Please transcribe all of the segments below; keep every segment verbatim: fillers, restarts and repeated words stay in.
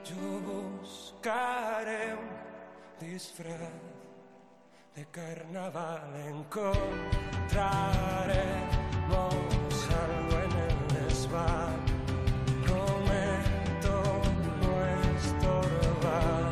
Jo buscaré un disfraz de carnaval, encontraremos algo en el desván. Prometo no estorbar.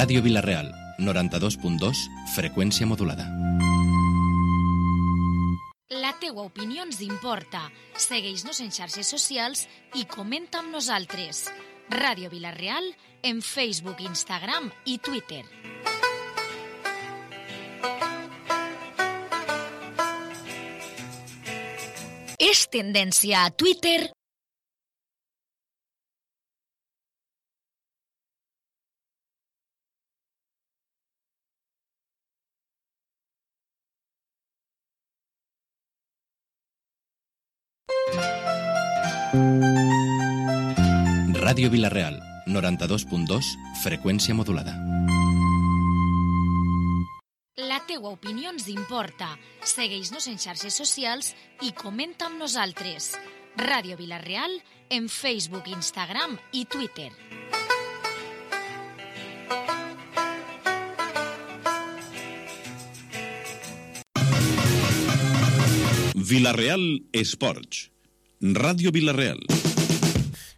Ràdio Vila-real, noranta-dos punt dos, freqüència modulada. La teua opinió ens importa. Segueix-nos en xarxes socials i comenta amb nosaltres. Ràdio Vila-real en Facebook, Instagram i Twitter. És tendència a Twitter. Ràdio Vila-real, noranta-dos punt dos, freqüència modulada. La teua opinió ens importa. Segueix-nos en xarxes socials i comenta amb nosaltres. Ràdio Vila-real en Facebook, Instagram i Twitter. Vila-real Esports. Ràdio Vila-real.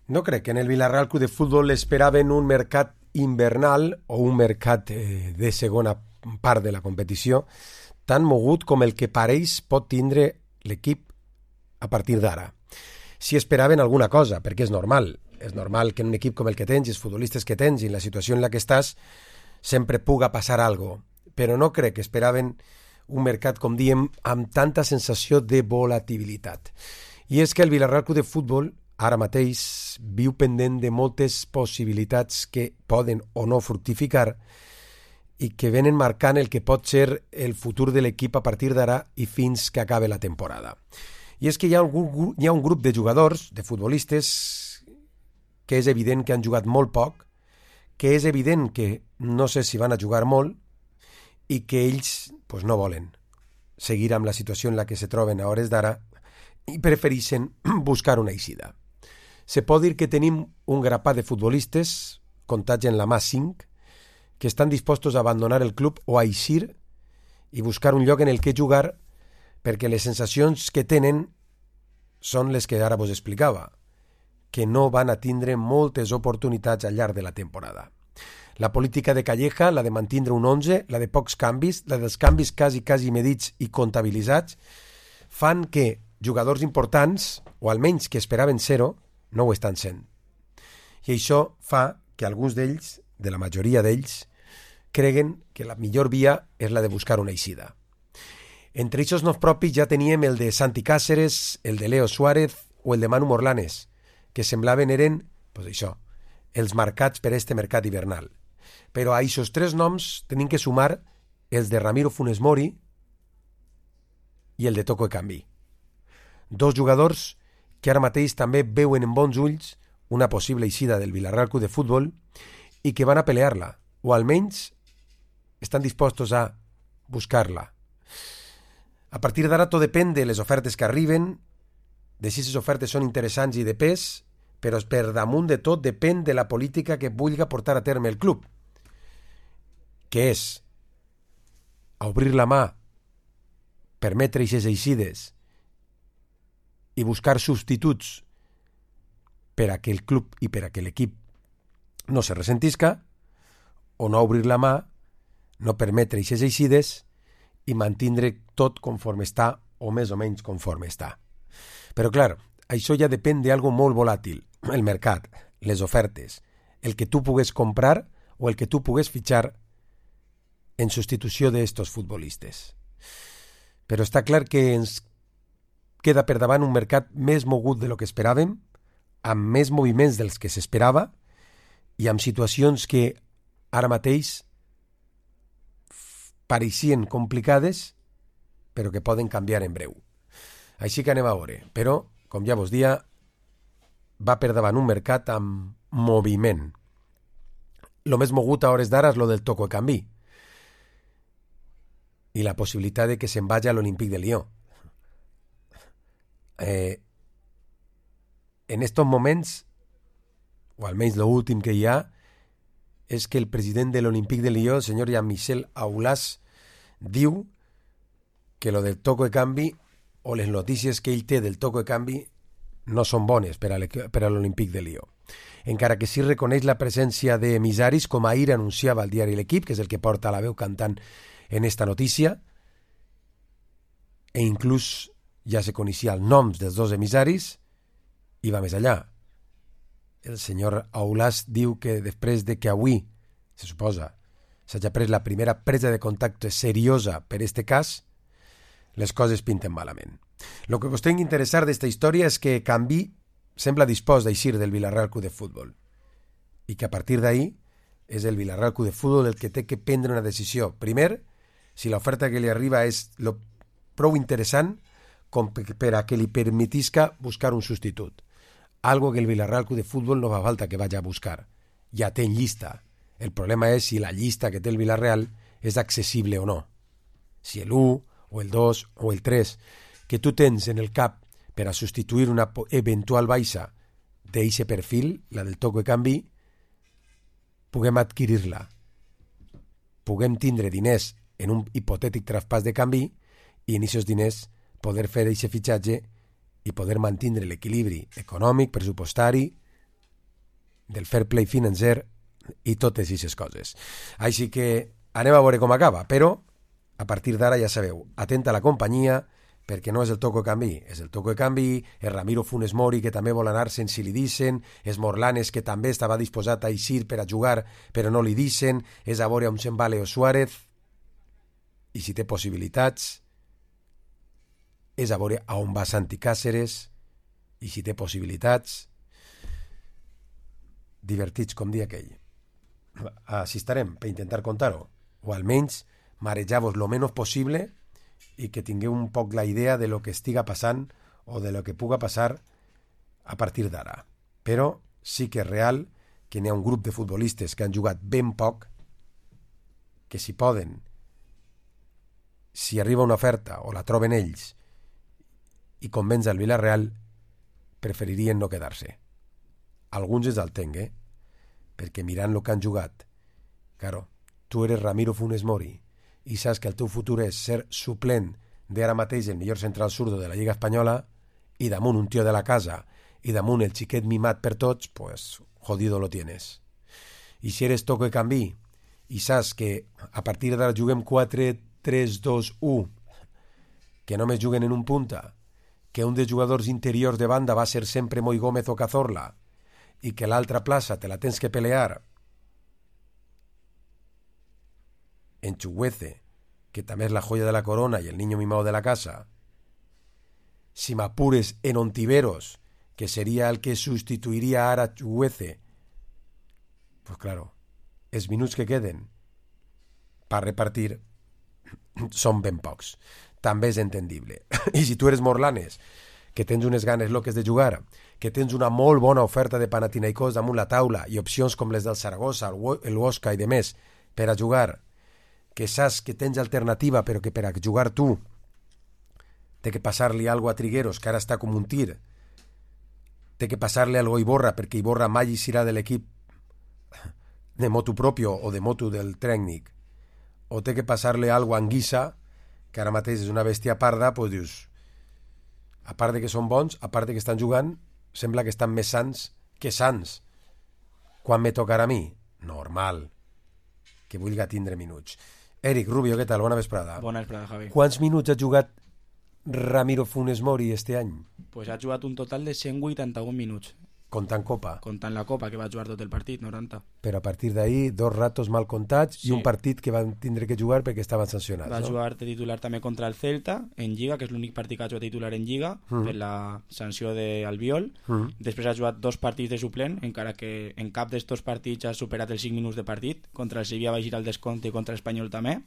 No crec que en el Vila-real Club de Futbol esperaven un mercat invernal o un mercat eh, de segona part de la competició tan mogut com el que pareix pot tindre l'equip a partir d'ara. Si esperaven alguna cosa, perquè és normal, és normal que en un equip com el que tens, els futbolistes que tens i en la situació en la que estàs, sempre puga passar algo, però no crec que esperaven un mercat, com diem, amb tanta sensació de volatilitat. I és que el Vila-real Club de Futbol ara mateix viu pendent de moltes possibilitats que poden o no fructificar i que venen marcant el que pot ser el futur de l'equip a partir d'ara i fins que acabe la temporada. I és que hi ha, algun, hi ha un grup de jugadors, de futbolistes, que és evident que han jugat molt poc, que és evident que no sé si van a jugar molt i que ells pues, no volen seguir amb la situació en la que se troben a hores d'ara i prefereixen buscar una eixida. Se pot dir que tenim un grapat de futbolistes, comptats en la mà cinc, que estan dispostos a abandonar el club o a eixir i buscar un lloc en el que jugar perquè les sensacions que tenen són les que ara vos explicava, que no van a tindre moltes oportunitats al llarg de la temporada. La política de Calleja, la de mantindre un onze, la de pocs canvis, la dels canvis quasi, quasi medits i comptabilitzats, fan que jugadors importants, o almenys que esperaven ser-ho, no ho estan sent. I això fa que alguns d'ells, de la majoria d'ells, creguen que la millor via és la de buscar una eixida. Entre aquests noms propis ja teníem el de Santi Cáceres, el de Leo Suárez o el de Manu Morlanes, que semblaven eren, pues això, els marcats per este mercat hivernal. Però a aquests tres noms tenim que sumar els de Ramiro Funes Mori i el de Toko Ekambi. Dos jugadors que ara mateix també veuen en bons ulls una possible eixida del Villarreal Club de Futbol i que van a pelear-la, o almenys estan dispostos a buscar-la. A partir d'ara tot depèn de les ofertes que arriben, de si les ofertes són interessants i de pes, però per damunt de tot depèn de la política que vulgui portar a terme el club, que és a obrir la mà, permetre aquestes eixides i buscar substituts per a que el club i per a que l'equip no se ressentisca, o no obrir la mà, no permetre aquestes eixides i mantindre tot conforme està o més o menys conforme està. Però clar, això ja depèn d'algo molt volàtil, el mercat, les ofertes, el que tu pugues comprar o el que tu pugues fitxar en substitució d'estos futbolistes. Però està clar que ens queda per davant un mercat més mogut de lo que esperàvem, amb més moviments dels que s'esperava i amb situacions que ara mateix pareixien complicades però que poden canviar en breu. Així que anem a veure. Però, com ja vos dia, va per davant un mercat amb moviment. Lo més mogut a hores d'ara és lo del Toko Ekambi i la possibilitat de que se'n vagi a l'Olympique de Lyon. Eh, en estos moments, o almenys l'últim que hi ha, és que el president de l'Olympique de Lyon, el senyor Jean-Michel Aulas, diu que lo del Toko Ekambi o les notícies que ell té del Toko Ekambi no són bones per a l'Olympique de Lyon. Encara que sí reconeix la presència de emissaris, com ahir anunciava el diari L'Equip, que és el que porta la veu cantant en esta notícia, e inclús ja se coneixia els noms dels dos emissaris, i va més allà. El senyor Aulas diu que després de que avui, se suposa, s'hagi pres la primera presa de contacte seriosa per este cas, les coses pinten malament. Lo que us tingui interessar d'esta història és que Ekambi sembla dispost d'eixir del Villarreal Club de Futbol i que a partir d'ahí és el Villarreal Club de Futbol el que té que prendre una decisió. Primer, si l'oferta que li arriba és lo prou interessant com per a que li permetisca buscar un substitut. Algo que el Villarreal Club de Futbol no fa falta que vagi a buscar. Ja té en llista. El problema és si la llista que té el Villarreal és accessible o no. Si el u, o el dos, o el tres, que tu tens en el cap per a substituir una eventual baixa d'eixe perfil, la del Toko Ekambi, puguem adquirir-la. Puguem tindre diners en un hipotètic traspàs de canvi i en aquests diners poder fer eixe fitxatge i poder mantindre l'equilibri econòmic, pressupostari, del fair play financer i totes aquestes coses. Així que anem a veure com acaba, però a partir d'ara ja sabeu, atenta a la companyia, perquè no és el Toko Ekambi, és el Toko Ekambi, el Ramiro Funes Mori, que també vol anar-se'n si li dicen, és Morlanes, que també estava disposat a eixir per a jugar, però no li dicen, és a veure on se'n va Leo Suárez, i si té possibilitats, és a veure a on va Santi Cáceres, i si té possibilitats, divertits com dia aquell. Així estarem, per intentar contar-ho, o almenys marejar-vos lo menys possible i que tingueu un poc la idea de lo que estiga passant o de lo que puga passar a partir d'ara. Però sí que és real que n'hi ha un grup de futbolistes que han jugat ben poc, que si poden, si arriba una oferta o la troben ells i convenç al Villarreal, preferirien no quedar-se. Alguns els el tenc, eh? Perquè mirant el que han jugat, claro, tu eres Ramiro Funes Mori i saps que el teu futur és ser suplent d'ara mateix el millor central zurdo de la Lliga Espanyola i damunt un tio de la casa i damunt el xiquet mimat per tots, pues jodido lo tienes. I si eres Toko Ekambi i saps que a partir d'ara juguem quatre tres dos u, que només juguen en un punta, que un dels jugadors interiors de banda va ser sempre Moi Gómez o Cazorla i que l'altra plaça te la tens que pelear en Chuguece, que també és la joya de la corona y el niño mimado de la casa, si m'apures en Ontiveros, que sería el que sustituiría ahora a Chuguece, pues claro, els minuts que queden per repartir són ben pocs. També és entendible. I si tu eres Morlanes, que tens unes ganes loques de jugar, que tens una molt bona oferta de Panathinaikos damunt la taula i opcions com les del Saragossa, el Huesca i de més per a jugar, que saps que tens alternativa però que per a jugar tu té que passar-li algo a Trigueros, que ara està com un tir, té que passar-li algo a Iborra perquè Iborra mai serà de l'equip de motu propio o de motu del tècnic, o té que passar-li algo a Anguissa, que ara mateix és una bèstia parda, doncs dius, a part de que són bons, a part de que estan jugant, sembla que estan més sants que sants. Quan me tocarà a mi? Normal. Que vulgui tindre minuts. Eric Rubio, què tal? Bona vesprada. Bona vesprada, Javi. Quants minuts ha jugat Ramiro Funes Mori este any? Pues ha jugat un total de cent vuitanta-un minuts. Comptant Copa. Comptant la Copa, que va jugar tot el partit, noranta. Però a partir d'ahir, dos ratos mal comptats sí. I un partit que van tindre que jugar perquè estaven sancionats. Va no? jugar de titular també contra el Celta, en Lliga, que és l'únic partit que ha jugat titular en Lliga, mm. per la sanció d'Albiol. Mm. Després ha jugat dos partits de suplent, encara que en cap d'estos partits ha superat els cinc minuts de partit. Contra el Sevilla va girar el descompte i contra l'Espanyol també.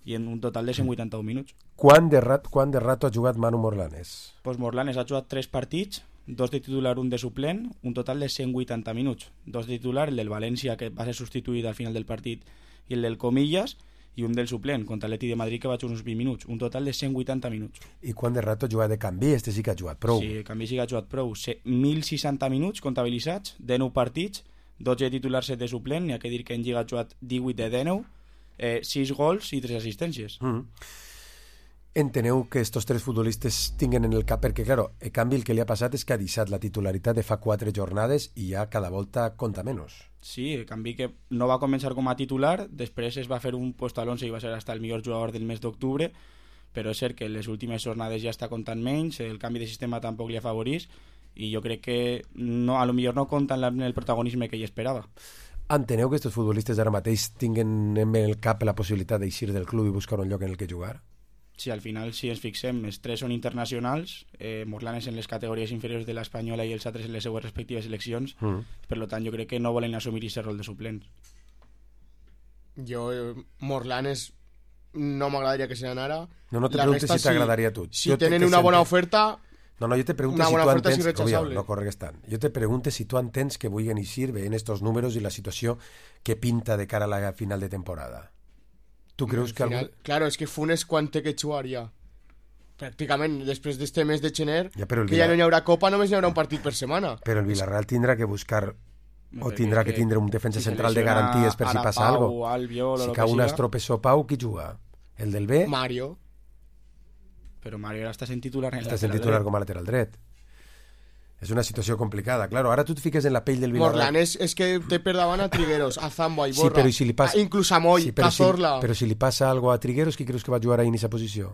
I en un total de cent vuitanta-un minuts. Quant de, rat, quant de rato ha jugat Manu Morlanes? Pues Morlanes ha jugat tres partits, dos de titular, un de suplent, un total de cent vuitanta minuts. Dos de titular, el del València, que va ser substituït al final del partit, i el del Comillas, i un del suplent, contra l'Atleti de Madrid, que va jugar uns vint minuts. Un total de cent vuitanta minuts. I quant de rato ha jugat de canvi? Este sí que ha jugat prou. Sí, canvi sí que ha jugat prou. mil seixanta minuts comptabilitzats, dinou partits, dotze de titular, set de suplent, n'hi ha que dir que en Lliga ha jugat divuit de dinou, eh, sis gols i tres assistències. Mm. Enteneu que estos tres futbolistes tinguen en el cap, perquè, claro, el canvi el que li ha passat és que ha deixat la titularitat de fa quatre jornades i ja cada volta compta menys. Sí, el canvi que no va començar com a titular, després es va fer un puesto al once i va ser hasta el millor jugador del mes d'octubre, però és cert que les últimes jornades ja està comptant menys, el canvi de sistema tampoc li afavorís, i jo crec que no, a lo millor no compta en el protagonisme que ell esperava. Enteneu que estos futbolistes ara mateix tinguen en el cap la possibilitat d'eixir del club i buscar un lloc en el que jugar? Sí, al final, si ens fixem, els tres són internacionals, eh, Morlanes en les categories inferiors de l'Espanyola i els altres en les seues respectives seleccions, mm. per tant, jo crec que no volen assumir aquest rol de suplents. Jo, eh, Morlanes, no m'agradaria que se n'anara. No, no te preguntes si t'agradaria a tu. Si tenen una bona oferta... No, no, jo te pregunto si tu entens... Obvio, no corregues tant. Jo te pregunto si tu entens que vulguen eixir veient estos números i la situació que pinta de cara a la final de temporada. Tu creus que... Final, algú... Claro, és que Funes quan té que jugar ja. Pràcticament, després d'este mes de gener, ja, que Villar... ja no hi haurà Copa, només hi haurà un partit per setmana. Però el Villarreal tindrà que buscar... O tindrà que, que tindre un defensa si central de garanties per si passa alguna cosa. Si cau un estropeçó Pau, qui juga? El del B? Mario. Però Mario ara està sent titular en està sent titular com a lateral dret. És una situació complicada. Claro, ara tu et fiques en la pell del Villarreal. Morlanes és que té per davant a Trigueros, a Zambo, a Iborra, sí, si passa... inclús a Moll, sí, a Zorla. Si, però si li passa algo a Trigueros, qui creus que va jugar ahí en aquesta posició?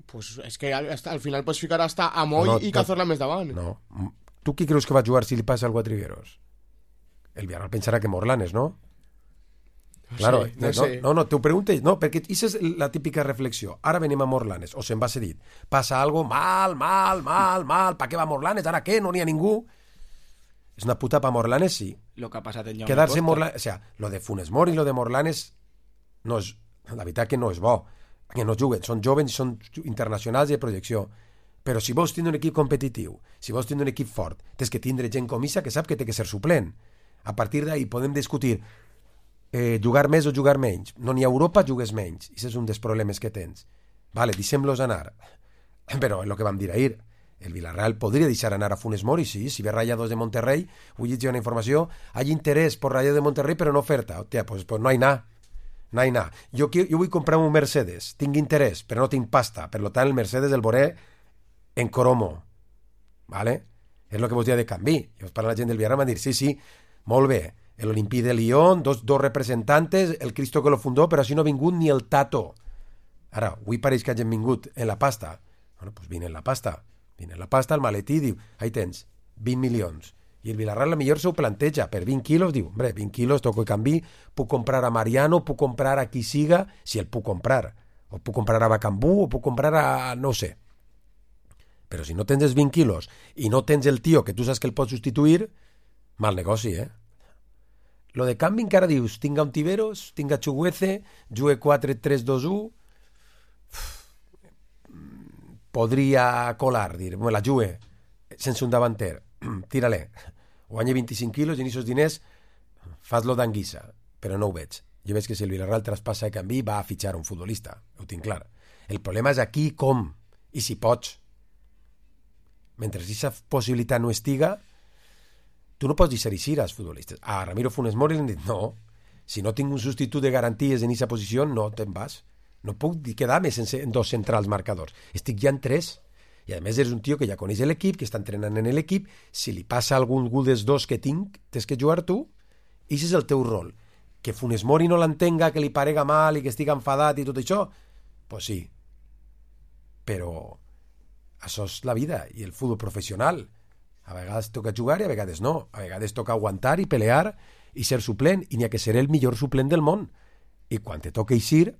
Pues és que al, al final pots ficar hasta a Moll no, no, i Cazorla més davant. No. Tu qui creus que va jugar si li passa algo a Trigueros? El Villarreal pensarà que Morlanes, ¿no? Claro, sí, no, no, sé. no, no, t'ho pregunto, no, perquè aquesta és la típica reflexió. Ara venim a Morlanes, o se'n va ser dit. Passa algo mal, mal, mal, mal, pa què va Morlanes, ara què, no n'hi ha ningú. És una puta pa Morlanes, sí. Lo que ha passat en Jaume Quedarse Costa. Morlanes, o sea, lo de Funes Mori i lo de Morlanes no és, la veritat que no és bo, que no juguen, són jovens, són internacionals i de projecció. Però si vols tindre un equip competitiu, si vols tindre un equip fort, tens que tindre gent com Issa que sap que té que ser suplent. A partir d'ahí podem discutir Eh, jugar més o jugar menys. No n'hi ha Europa, jugues menys. I això és un dels problemes que tens. Vale, deixem-los anar. Però el que vam dir ahir, el Villarreal podria deixar anar a Funes Mori, sí, si ve Rayados de Monterrey, vull llegir una informació, hay interès per Rayados de Monterrey però no oferta. Hòstia, pues, pues no hay nada. No hay nada. Jo, jo vull comprar un Mercedes, tinc interès, però no tinc pasta. Per tant, el Mercedes el veuré en cromo. Vale? És el que vos dia de canvi. I us parla la gent del Villarreal, m'han dit, sí, sí, molt bé. El Olympique de Lyon, dos, dos representantes, el Cristo que lo fundó, però així no ha vingut ni el Tato. Ara, avui pareix que hagin vingut en la pasta. Bueno, pues vine en la pasta. Vine en la pasta, el maletí, diu, ahí tens, vint milions. I el Villarreal a millor s'ho planteja, per vint quilos, diu, hombre, vint quilos, toco de canvi, puc comprar a Mariano, puc comprar a qui siga, si el puc comprar. O puc comprar a Bacambú, o puc comprar a... no sé. Però si no tens els vint quilos i no tens el tio que tu saps que el pots substituir, mal negoci, eh? Lo de canvi encara dius, tinga un Tiveros, tinga Chuguece, jugue quatre tres dos u, podria colar, dir, bueno, la jugue sense un davanter, tira-le, guanya vint-i-cinc quilos i en aquests diners fas-lo d'anguissa, però no ho veig. Jo veig que si el Villarreal traspassa de canvi va a fitxar un futbolista, ho tinc clar. El problema és aquí com, i si pots. Mentre aquesta possibilitat no estiga, tu no pots dir als futbolistes. A Ramiro Funes Mori li han dit, no, si no tinc un substitut de garanties en aquesta posició, no te'n vas. No puc quedar-me sense en dos centrals marcadors. Estic ja en tres. I a més eres un tio que ja coneix l'equip, que està entrenant en l'equip. Si li passa algun dels dos que tinc, tens que jugar tu. I aquest és el teu rol. Que Funes Mori no l'entenga, que li parega mal i que estigui enfadat i tot això, pues sí. Però això és la vida i el futbol professional. A vegades toca jugar i a vegades no. A vegades toca aguantar i pelear i ser suplent. I n'hi ha que ser el millor suplent del món. I quan te toca eixir,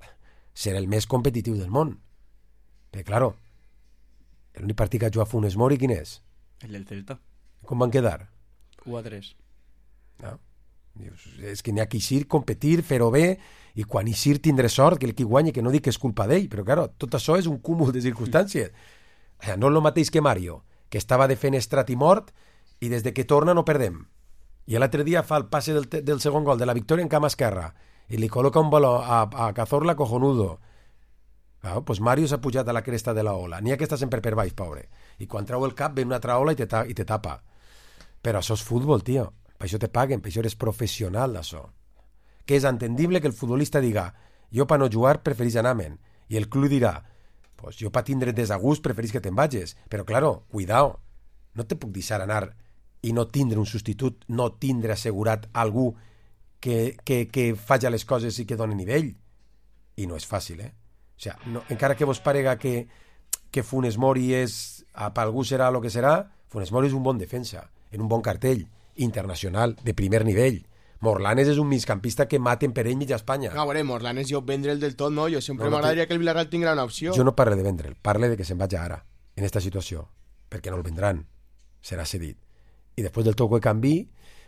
ser el més competitiu del món. Però, claro, l'únic partit que ha jugat Funes Mori, quin és? El del Celta. Com van quedar? u a tres. No? Dius, és que n'hi ha que eixir, competir, fer-ho bé, i quan eixir tindré sort, que el que guanyi, que no dic que és culpa d'ell, però, claro, tot això és un cúmul de circumstàncies. No és el mateix que Mario, que estava defenestrat i mort, i des de que torna no perdem. I l'altre dia fa el passe del, del segon gol de la victòria en cama esquerra, i li col·loca un baló a, a Cazorla cojonudo. Claro, pues Mario s'ha pujat a la cresta de la ola. N'hi ha que està sempre per baix, pobre. I quan trau el cap ve una altra ola i te, ta i te tapa. Però això és futbol, tio. Per això te paguen, per això eres professional d'això. Que és entendible que el futbolista diga, jo per no jugar preferís anar-me'n. I el club dirà, pues jo per tindre desagust preferís que te'n vagis. Però, claro, cuidao. No te puc deixar anar i no tindre un substitut, no tindre assegurat algú que, que, que faci les coses i que doni nivell. I no és fàcil, eh? O sea, no, encara que vos parega que, que Funes Mori és, per algú serà el que serà, Funes Mori és un bon defensa, en un bon cartell, internacional, de primer nivell. Morlanes és un migcampista que maten per ell mitja Espanya. A veure, Morlanes jo vendre'l del tot, no? Jo sempre no, m'agradaria no, que el Villarreal tinguera una opció. Jo no parle de vendre'l, parle de que se'n vagi ara, en esta situació, perquè no el vendran, serà cedit. I després del toc de canvi,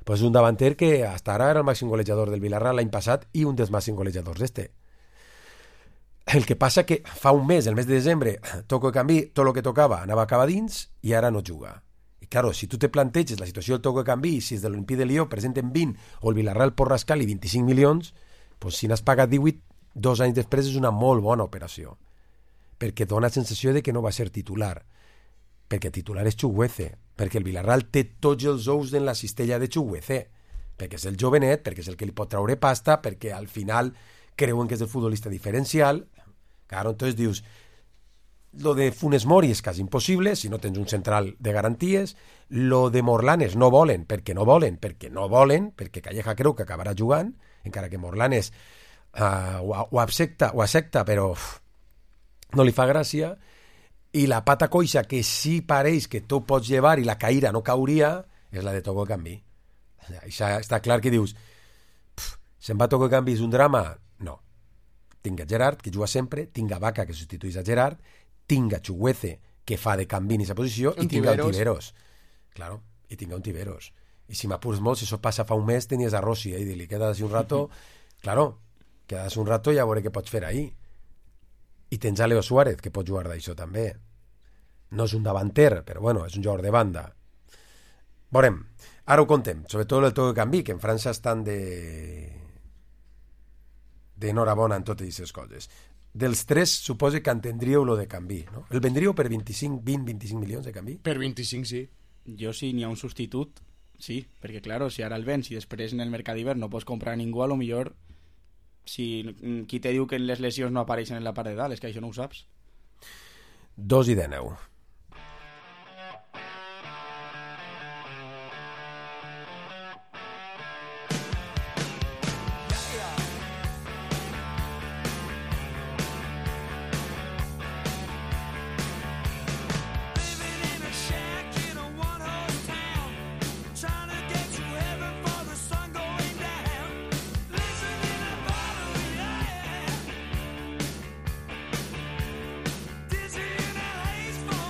pues un davanter que hasta ara era el màxim golejador del Villarreal l'any passat i un dels màxims golejadors d'este. El que passa que fa un mes, el mes de desembre, toco de canvi, tot el que tocava anava a acabar dins i ara no juga. I claro, si tu te planteges la situació del toco de canvi, si és de l'Olimpí de Lió presenten vint o el Villarreal pot rascar-li vint-i-cinc milions, pues si n'has pagat divuit, dos anys després és una molt bona operació. Perquè dona sensació de que no va ser titular. Perquè titular és Chuguece. Perquè el Villarreal té tots els ous en la cistella de Chuguece. Perquè és el jovenet, perquè és el que li pot traure pasta, perquè al final creuen que és el futbolista diferencial. Claro, entonces dius, lo de Funes Mori és quasi impossible si no tens un central de garanties. Lo de Morlanes no volen, perquè no volen, perquè no volen, perquè Calleja creu que acabarà jugant, encara que Morlanes uh, ho, ho accepta, ho accepta, però uf, no li fa gràcia. I la pata coixa que sí pareix que tu pots llevar i la caïra no cauria és la de Toco de Canvi. Això està clar que dius, se'n va Toco de Canvi, és un drama? No. Tinga Gerard, que juga sempre, tinga Vaca, que substituís a Gerard, tinga Chuguece, que fa de canvi en aquesta posició, i tinga un Tiveros. Claro, i tinga un Tiveros. I si m'apures molt, si això passa fa un mes, tenies a Rossi, eh, i li quedes un rato, claro, quedes un rato i ja veuré què pots fer ahí. I tens a Leo Suárez, que pot jugar d'això també. No és un davanter, però bueno, és un jugador de banda. Veurem. Ara ho contem, sobretot el Toco de Canvi, que en França estan de... d'enhorabona en totes aquestes coses. Dels tres, suposo que entendríeu lo de Canvi, no? El vendríeu per vint-i-cinc, vint, vint-i-cinc milions de Canvi? Per vint-i-cinc, sí. Jo, si n'hi ha un substitut, sí, perquè, claro, si ara el vens i després en el mercat d'hivern no pots comprar ningú, a lo millor, si qui te diu que les lesions no apareixen en la part de dalt, és que això no ho saps. Dos i dèneu. Dizzy in a haze full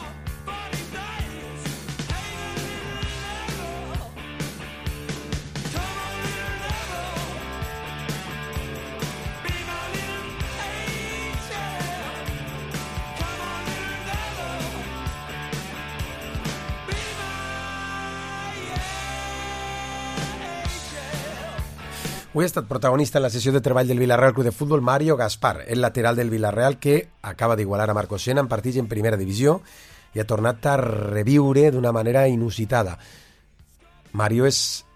Avui ha estat protagonista en la sessió de treball del Villarreal Club de Futbol Mario Gaspar, el lateral del Villarreal que acaba d'igualar a Marcos Sena en partits en primera divisió i ha tornat a reviure d'una manera inusitada. Mario és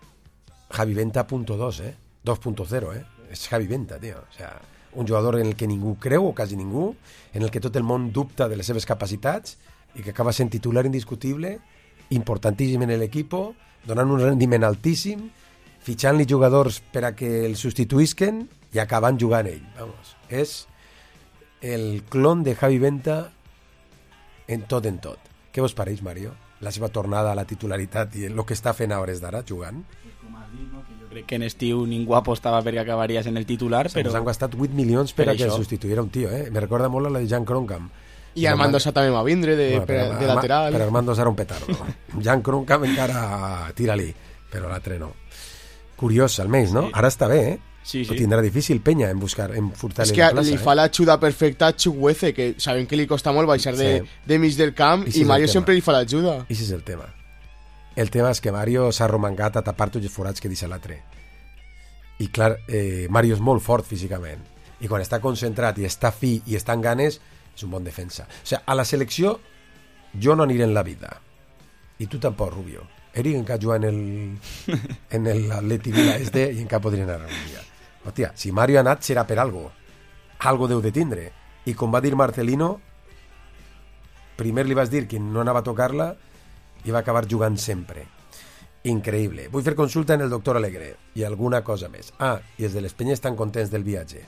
Javi Venta punto dos, eh? dos punto cero, eh? És Javi Venta, tio. O sea, un jugador en el que ningú creu, o quasi ningú, en el que tot el món dubta de les seves capacitats i que acaba sent titular indiscutible, importantíssim en l'equip, donant un rendiment altíssim, fitxant-li jugadors per a que el substituïsquen i acabant jugant ell. Vamos, és el clon de Javi Venta en tot en tot. Què vos pareix, Mario? La seva tornada a la titularitat i el que està fent a hores d'ara jugant? Com has dit, no? Que jo crec que en estiu ningú apostava perquè acabaries en el titular, però... Ens han gastat vuit milions per, per a que el substituïra un tio, eh? Me recorda molt a la de Jan Kroenkam. I Armando Sá també va vindre de, bueno, per, de lateral. Però Armando Sá era un petardo. Jan Kroenkam encara tira-li, però l'altre no. Curiós, almenys, no? Sí. Ara està bé, eh? Sí, sí. Ho tindrà difícil Peña en buscar, en furtar-li la plaça. És que li eh? fa l'ajuda perfecta a Chukwueze, que sabem que li costa molt baixar de, sí. de mig del camp, i, i Mario sempre li fa l'ajuda. I si és el tema. El tema és que Mario s'ha romangat a tapar tots els forats que deixa l'altre. I clar, eh, Mario és molt fort físicament. I quan està concentrat i està fi i està en ganes, és un bon defensa. O sigui, a la selecció jo no aniré en la vida. I tu tampoc, Rubio. Eric encara juga en el en l'Atleti Vila este i encara podria anar un dia. Hòstia, si Mario ha anat serà per algo. Algo deu de tindre. I com va dir Marcelino, primer li vas dir que no anava a tocar-la i va acabar jugant sempre. Increïble. Vull fer consulta en el doctor Alegre i alguna cosa més. Ah, i els de les penyes estan contents del viatge.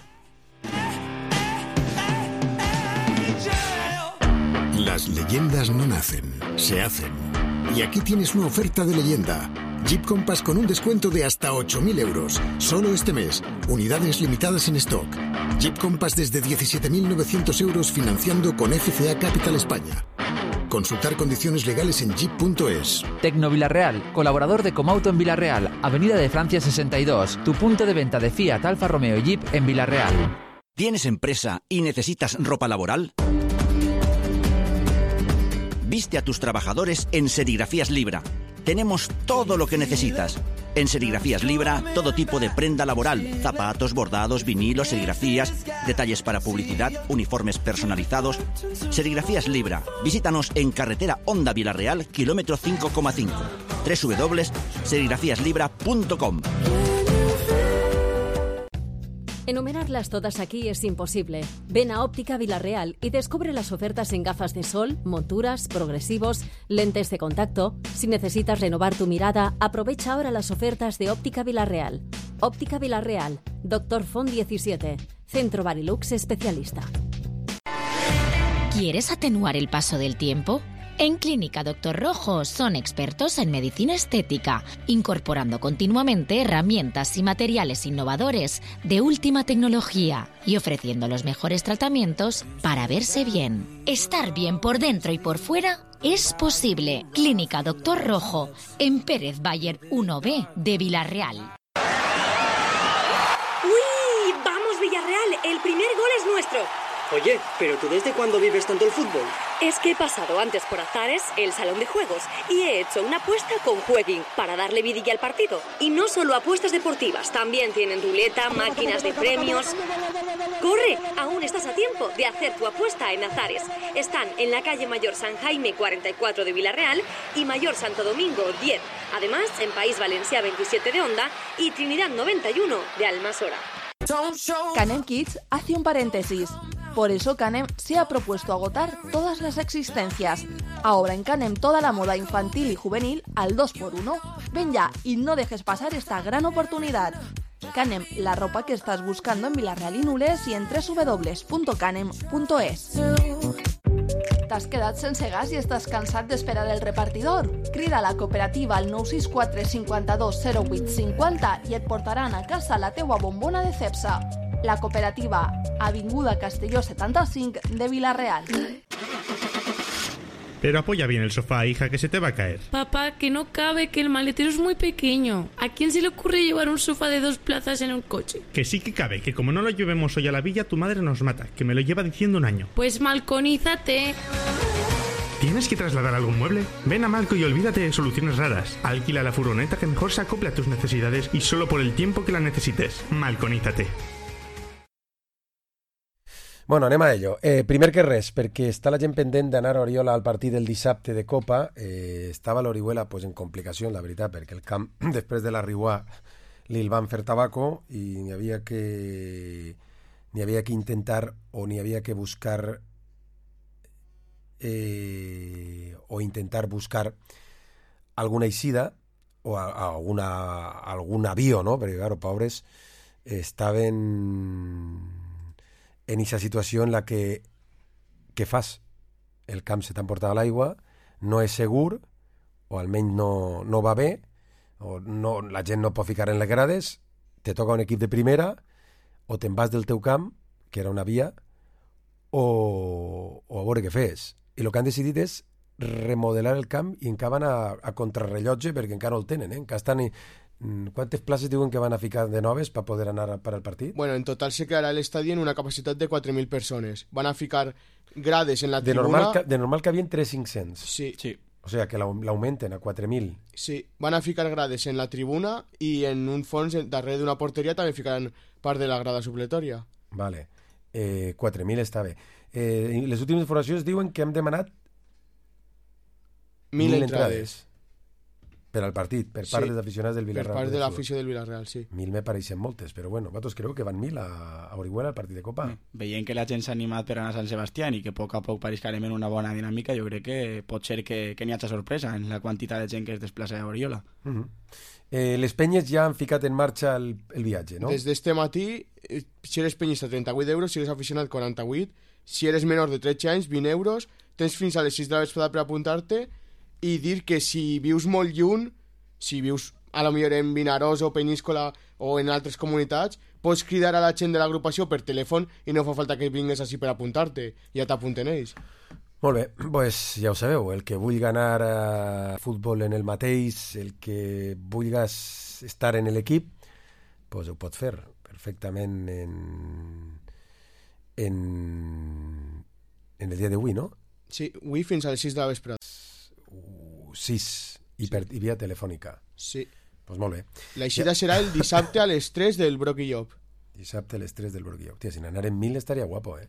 Las leyendas no nacen, se hacen. Y aquí tienes una oferta de leyenda. Jeep Compass con un descuento de hasta ocho mil euros. Solo este mes. Unidades limitadas en stock. Jeep Compass desde diecisiete mil novecientos euros financiando con F C A Capital España. Consultar condiciones legales en jeep punto es. Tecno Villarreal, colaborador de Comauto en Villarreal, Avenida de Francia sesenta y dos, tu punto de venta de Fiat, Alfa Romeo y Jeep en Villarreal. ¿Tienes empresa y necesitas ropa laboral? Viste a tus trabajadores en Serigrafías Libra. Tenemos todo lo que necesitas. En Serigrafías Libra, todo tipo de prenda laboral, zapatos, bordados, vinilos, serigrafías, detalles para publicidad, uniformes personalizados. Serigrafías Libra. Visítanos en carretera Honda Villarreal, kilómetro cinco coma cinco. doble u doble u doble u punto serigrafías libra punto com. Enumerarlas todas aquí es imposible. Ven a Óptica Villarreal y descubre las ofertas en gafas de sol, monturas, progresivos, lentes de contacto. Si necesitas renovar tu mirada, aprovecha ahora las ofertas de Óptica Villarreal. Óptica Villarreal, Doctor Font diecisiete, Centro Barilux especialista. ¿Quieres atenuar el paso del tiempo? En Clínica Doctor Rojo son expertos en medicina estética, incorporando continuamente herramientas y materiales innovadores de última tecnología y ofreciendo los mejores tratamientos para verse bien. Estar bien por dentro y por fuera es posible. Clínica Doctor Rojo, en Pérez Bayer uno B de Villarreal. ¡Uy! ¡Vamos, Villarreal! El primer gol es nuestro. Oye, ¿pero tú desde cuándo vives tanto el fútbol? Es que he pasado antes por Azares, el salón de juegos, y he hecho una apuesta con Jueguin para darle vidilla al partido. Y no solo apuestas deportivas, también tienen ruleta, máquinas de premios. ¡Corre! Aún estás a tiempo de hacer tu apuesta en Azares. Están en la calle Mayor San Jaime cuarenta y cuatro de Villarreal y Mayor Santo Domingo diez. Además, en País Valencià veintisiete de Onda y Trinidad noventa y uno de Almasora. Canem Kids hace un paréntesis. Por eso Canem se ha propuesto agotar todas las existencias. Ahora en Canem toda la moda infantil y juvenil al dos por uno. Ven ya y no dejes pasar esta gran oportunidad. Canem, la ropa que estás buscando en Villarreal i Nules y en doble u doble u doble u punto canem punto es. T'has quedat sense gas i estàs cansat d'esperar el repartidor? Crida a la cooperativa al nou sis quatre cinquanta-dos zero vuit cinquanta i et portaran a casa la teua bombona de Cepsa. La cooperativa, Avinguda Castelló setanta-cinc de Villarreal. Pero apoya bien el sofá, hija, que se te va a caer. Papá, que no cabe, que el maletero es muy pequeño. ¿A quién se le ocurre llevar un sofá de dos plazas en un coche? Que sí que cabe, que como no lo llevemos hoy a la villa, tu madre nos mata, que me lo lleva diciendo un año. Pues malconízate. ¿Tienes que trasladar algún mueble? Ven a Malco y olvídate de soluciones raras. Alquila la furgoneta que mejor se acople a tus necesidades y solo por el tiempo que la necesites. Malconízate. Bueno, anem a ello. Eh, primer que res, perquè està la gent pendent d'anar a Oriola al partit del dissabte de Copa, eh, estava l'Orihuela pues, en complicació, la veritat, perquè el camp, després de la Riuà, li el van fer tabaco i n'hi havia que n'hi havia que intentar o n'hi havia que buscar eh, o intentar buscar alguna eixida o a, a alguna, algun avió, no? Perquè, claro, pobres, estaven en aquesta situació en la que què fas? El camp se t'ha emportat a l'aigua, no és segur, o almenys no, no va bé, o no, la gent no pot ficar en les grades, te toca un equip de primera, o te'n vas del teu camp, que era una via, o, o a veure què fes. I el que han decidit és remodelar el camp i encara van a, a contrarrellotge perquè encara no el tenen, eh? Encara estan... ¿Cuántas places diuen que van a ficar de noves para poder anar para el partit? Bueno, en total se quedará el estadio en una capacitat de quatre mil persones. Van a ficar grades en la de tribuna... Normal, de normal que havien tres mil cinc-cents. Sí. sí. O sea, que l'augmenten a quatre mil. Sí, van a ficar grades en la tribuna i en un fons darrere d'una porteria també ficaran part de la grada supletòria. Vale. Eh, quatre mil està bé. Eh, les últimes informacions diuen que hem demanat mil, mil entrades. entrades. Per al partit, per part sí, dels aficionats del Villarreal. Per part de l'afició del Villarreal, sí. Mil me pareixen moltes, però bueno, vosaltres creu que van mil a, a Orihuela al partit de Copa? Mm. Veient que la gent s'ha animat per anar a Sant Sebastià i que a poc a poc pareix que anem en una bona dinàmica, jo crec que pot ser que, que n'hi hagi sorpresa en la quantitat de gent que es desplaça a Oriola. Uh -huh. eh, les penyes ja han ficat en marxa el, el viatge, no? Des d'este matí, eh, si eres penyista, trenta-vuit euros, si eres aficionat, quaranta-vuit, si eres menor de tretze anys, vint euros, tens fins a les sis de la vesprada per apuntar-te i dir que si vius molt lluny, si vius a lo millor en Vinaròs o Peníscola o en altres comunitats, pots cridar a la gent de l'agrupació per telèfon i no fa falta que vingues així per apuntar-te, ja t'apunten ells. Molt bé, pues ja ho sabeu, el que vulgui anar a futbol en el mateix, el que vulguis estar en l'equip, pues ho pot fer perfectament en, en, en el dia d'avui, no? Sí, avui fins a les sis de la vesprada. Uh, sis. I, per, i via telefònica. Sí. Pues molt bé. L'eixida ja... serà el dissabte a les tres del Broc i Llop. Dissabte a les tres del Broc i Llop. Tia, si n'anar en mil estaria guapo, eh?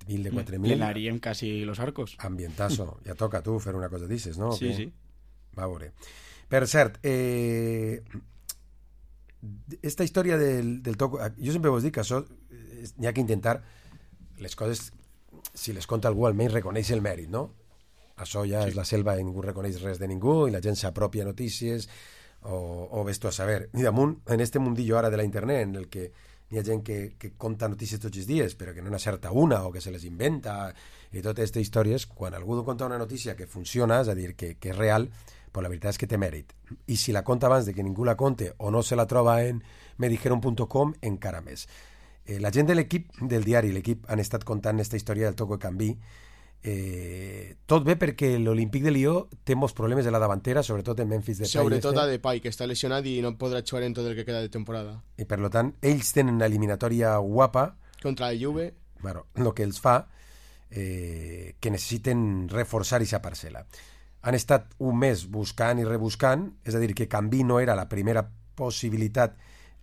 Mil de quatre mil. Llenaríem quasi los arcos. Ambientazo. Ja toca tu fer una cosa d'aixes, no? Sí, sí. Va a veure. Per cert, eh... esta història del, del toc... Jo sempre vos dic que això n'hi ha que intentar les coses, si les conta algú, almenys reconeix el mèrit, no? Això ja sí. És la selva i ningú reconeix res de ningú i la gent s'apropia notícies o, o ves tu a saber. I damunt, en este mundillo ara de la internet, en el que hi ha gent que, que conta notícies tots els dies però que no n'acerta una o que se les inventa i totes aquestes històries, quan algú conta una notícia que funciona, és a dir, que, que és real, pues la veritat és que té mèrit. I si la conta abans de que ningú la conte o no se la troba en me dijeron punto com, encara més. Eh, la gent de l'equip, del diari, l'equip, han estat contant aquesta història del Toco de Canví. Eh, tot bé perquè l'Olímpic de Lió té molts problemes de la davantera, sobretot en Memphis Depay. Sobretot a Depay, que està lesionat i no podrà jugar en tot el que queda de temporada. I per tant, ells tenen una eliminatòria guapa contra la Juve. Bueno, el que els fa eh, que necessiten reforçar aquesta parcel·la. Han estat un mes buscant i rebuscant, és a dir, que Canví no era la primera possibilitat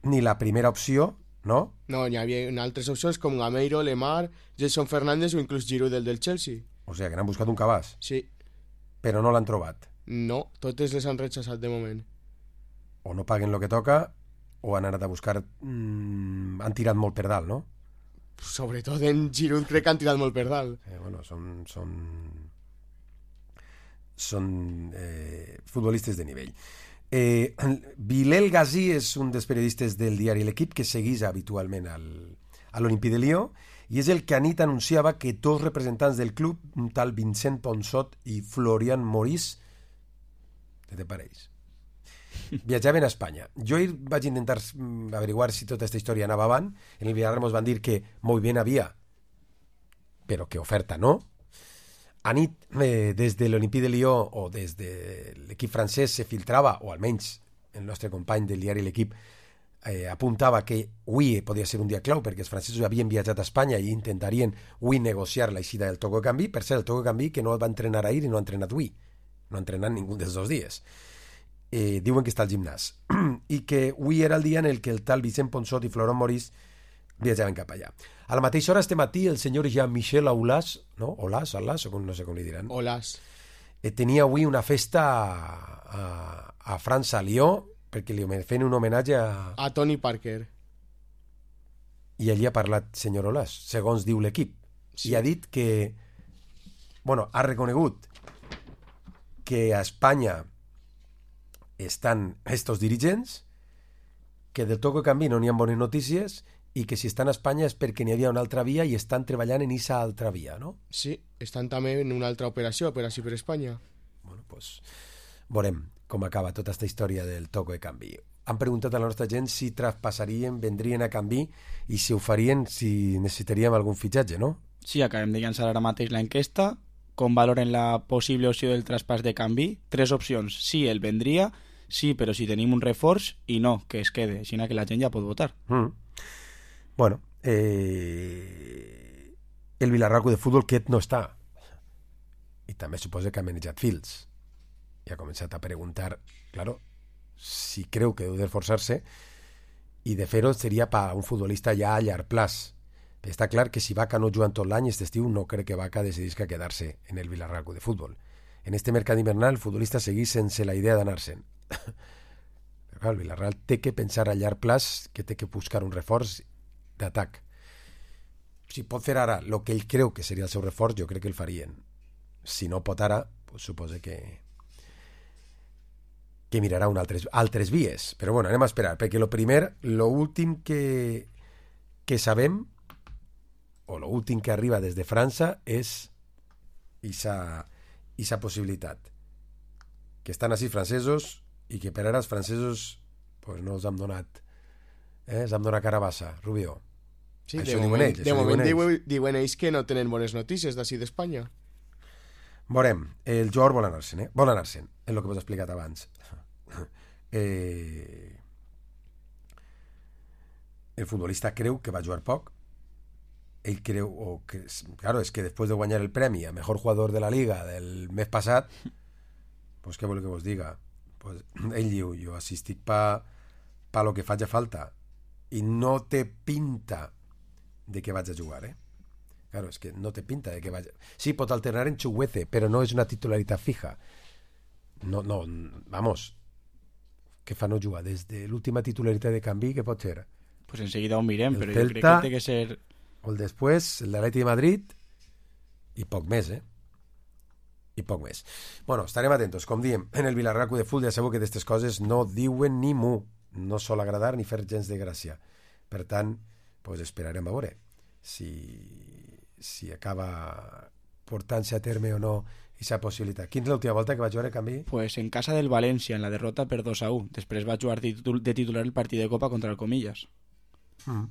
ni la primera opció, no? No, hi havia altres opcions com Gameiro, Lemar, Jason Fernández o inclús Giroud del del Chelsea. O sigui, que n'han buscat un cabàs. Sí. Però no l'han trobat. No, totes les han rechazat de moment. O no paguen el que toca o han anat a buscar... Mmm, han tirat molt per dalt, no? Sobretot en Giroud crec que han tirat molt per dalt. Eh, bueno, són... són... són eh, futbolistes de nivell. Eh, Bilal Ghazi és un dels periodistes del diari L'Equip que seguís habitualment al, a l'Olímpic de Lió i és el que anit anunciava que dos representants del club, un tal Vincent Ponsot i Florian Maurice, què te pareix? Viatjaven a Espanya. Jo vaig intentar averiguar si tota aquesta història anava avant. En el Villarreal ens van dir que molt bé havia, però que oferta no. Anit, eh, des de l'Olímpic de Lió o des de l'equip francès se filtrava, o almenys el nostre company del diari L'Equip eh, apuntava que avui podia ser un dia clau perquè els francesos havien viatjat a Espanya i intentarien avui negociar l'eixida del toco de canvi. Per cert, el toco de canvi que no va entrenar ahir i no ha entrenat avui, no ha entrenat ningú dels dos dies. Eh, diuen que està al gimnàs i que avui era el dia en el que el tal Vicent Ponsot i Florent Maurice viatjaven cap allà. A la mateixa hora, este matí, el senyor Jean-Michel Aulas, no? Aulas, Aulas, o com, no sé com li diran. Aulas. Eh, tenia avui una festa a, a, a França, a Lió, perquè li feien un homenatge a... A Tony Parker. I allí ha parlat senyor Aulas, segons diu l'equip. Sí. I ha dit que... Bueno, ha reconegut que a Espanya estan estos dirigents, que del toco de canvi no n'hi ha bones notícies i que si estan a Espanya és perquè n'hi havia una altra via i estan treballant en aquesta altra via, no? Sí, estan també en una altra operació, Operació per Espanya. Bueno, pues veurem com acaba tota aquesta història del toco de canvi. Han preguntat a la nostra gent si traspassarien, vendrien a canvi i si ho farien, si necessitaríem algun fitxatge, no? Sí, acabem de llançar ara mateix la enquesta. Com valoren la possible opció del traspàs de canvi? Tres opcions. Sí, el vendria, sí, però si tenim un reforç, i no, que es quede, així que la gent ja pot votar. Mm. Bueno, eh... el Villarreal de futbol aquest no està. I també suposa que ha manejat fils. I ha començat a preguntar, claro, si creu que deu d'esforçar-se, i de fer-ho seria per un futbolista ja a llarg plaç. Però està clar que si Vaca no jugant tot l'any, aquest estiu no crec que Vaca decidisca quedar-se en el Villarreal de futbol. En este mercat invernal el futbolista seguís sense la idea d'anar-se'n. Però clar, el Villarreal té que pensar a llarg plaç, que té que buscar un reforç d'atac. Si pot fer ara el que ell creu que seria el seu reforç, jo crec que el farien. Si no pot ara, pues suposa que que mirarà un altres, altres vies. Però bueno, anem a esperar, perquè lo primer, lo últim que que sabem, o lo últim que arriba des de França, és esa, esa possibilitat. Que estan així francesos i que per ara els francesos pues, no els han donat eh, els han donat carabassa, Rubio. Sí, això de moment, ells, de moment diuen, diuen ells que no tenen bones notícies d'ací d'Espanya. Veurem, el jugador vol anar-se'n, eh? Vol anar-se'n, és el que vos he explicat abans. Eh... El futbolista creu que va jugar poc. Ell creu, o que, claro, és que després de guanyar el premi a mejor jugador de la Liga del mes passat, pues què vol que vos diga? Pues, ell diu, jo assistic pa, pa lo que faig a falta, i no té pinta de que vaig a jugar, eh? Claro, és que no té pinta de que vaig... Sí, pot alternar en Chuguece, però no és una titularitat fija. No, no, vamos, que fa no jugar? Des de l'última titularitat de canvi, què pot ser? Pues enseguida ho mirem, el però Celta, jo crec que té que ser... O el després, el d'Atleti de Madrid, i poc més, eh? I poc més. Bueno, estarem atentos. Com diem, en el Villarreal de Futbol ja sabeu que d'aquestes coses no diuen ni mu. No sol agradar ni fer gens de gràcia. Per tant, pues esperarem a veure si, si acaba portant-se a terme o no aquesta possibilitat. Quina és l'última volta que va jugar a canvi? Pues en casa del València, en la derrota per dos a u. Després va jugar de titular el partit de Copa contra el Comillas. Mm.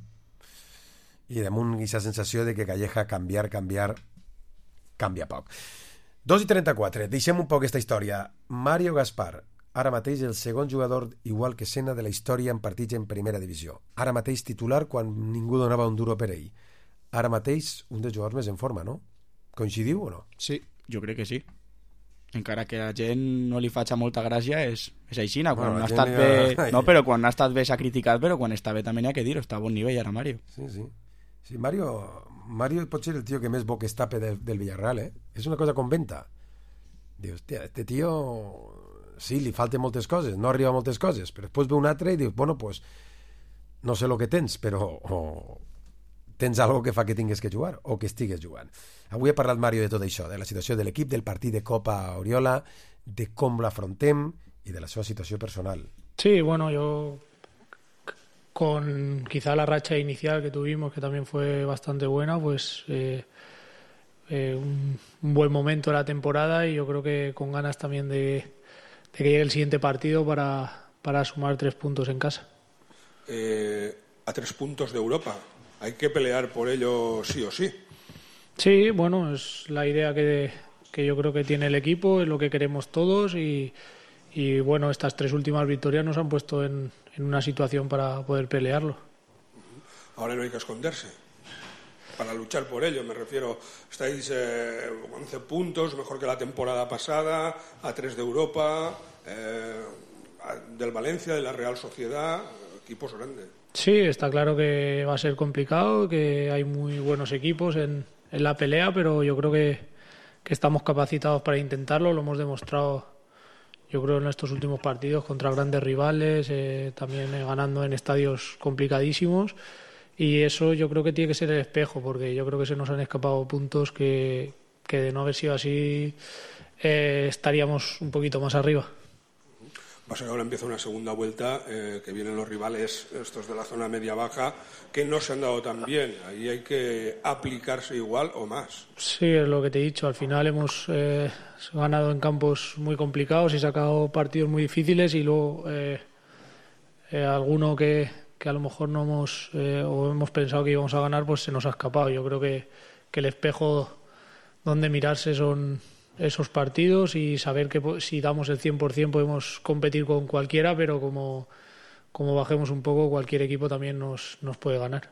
I damunt aquesta sensació de que Calleja canviar, canviar, canvia poc. dos i trenta-quatre, deixem un poc aquesta història. Mario Gaspar, ara mateix el segon jugador igual que Senna de la història en partits en primera divisió. Ara mateix titular quan ningú donava un duro per ell. Ara mateix un dels jugadors més en forma, no? Coincidiu o no? Sí, jo crec que sí. Encara que a la gent no li faci molta gràcia, és, és així. Quan bueno, ha estat bé... Ha... No, però quan ha estat bé s'ha criticat, però quan està bé també n'hi ha que dir-ho. Està a bon nivell ara, Mario. Sí, sí. Sí, Mario, Mario pot ser el tio que més bo que estape del, del Villarreal, eh? És una cosa con venta. Dius, hòstia, este tio... Sí, li falten moltes coses, no arriba a moltes coses, però després ve un altre i dius, bueno, pues, no sé el que tens, però o, tens algo que fa que tingues que jugar o que estigues jugant. Avui he parlat, Mario, de tot això, de la situació de l'equip, del partit de Copa Oriola, de com l'afrontem i de la seva situació personal. Sí, bueno, yo con quizá la racha inicial que tuvimos, que también fue bastante buena, pues eh, eh, un, un buen momento de la temporada y yo creo que con ganas también de, de que llegue el siguiente partido para, para sumar tres puntos en casa. Eh, a tres puntos de Europa, hay que pelear por ello sí o sí. Sí, bueno, es la idea que, que yo creo que tiene el equipo, es lo que queremos todos y, y bueno, estas tres últimas victorias nos han puesto en, en una situación para poder pelearlo. Ahora no hay que esconderse. Para luchar por ello, me refiero, estáis eh, once puntos, mejor que la temporada pasada, a tres de Europa, eh, del Valencia, de la Real Sociedad, equipos grandes. Sí, está claro que va a ser complicado, que hay muy buenos equipos en, en la pelea, pero yo creo que, que estamos capacitados para intentarlo, lo hemos demostrado yo creo en estos últimos partidos contra grandes rivales, eh, también eh, ganando en estadios complicadísimos. Y eso yo creo que tiene que ser el espejo, porque yo creo que se nos han escapado puntos que, que de no haber sido así eh, estaríamos un poquito más arriba. Pasa que ahora empieza una segunda vuelta, eh, que vienen los rivales, estos de la zona media-baja, que no se han dado tan bien. Ahí hay que aplicarse igual o más. Sí, es lo que te he dicho. Al final hemos eh, ganado en campos muy complicados y sacado partidos muy difíciles y luego eh, eh, alguno que... que a lo mejor no hemos eh, o hemos pensado que íbamos a ganar, pues se nos ha escapado. Yo creo que, que el espejo donde mirarse son esos partidos y saber que si damos el cien por ciento podemos competir con cualquiera, pero como, como bajemos un poco, cualquier equipo también nos, nos puede ganar.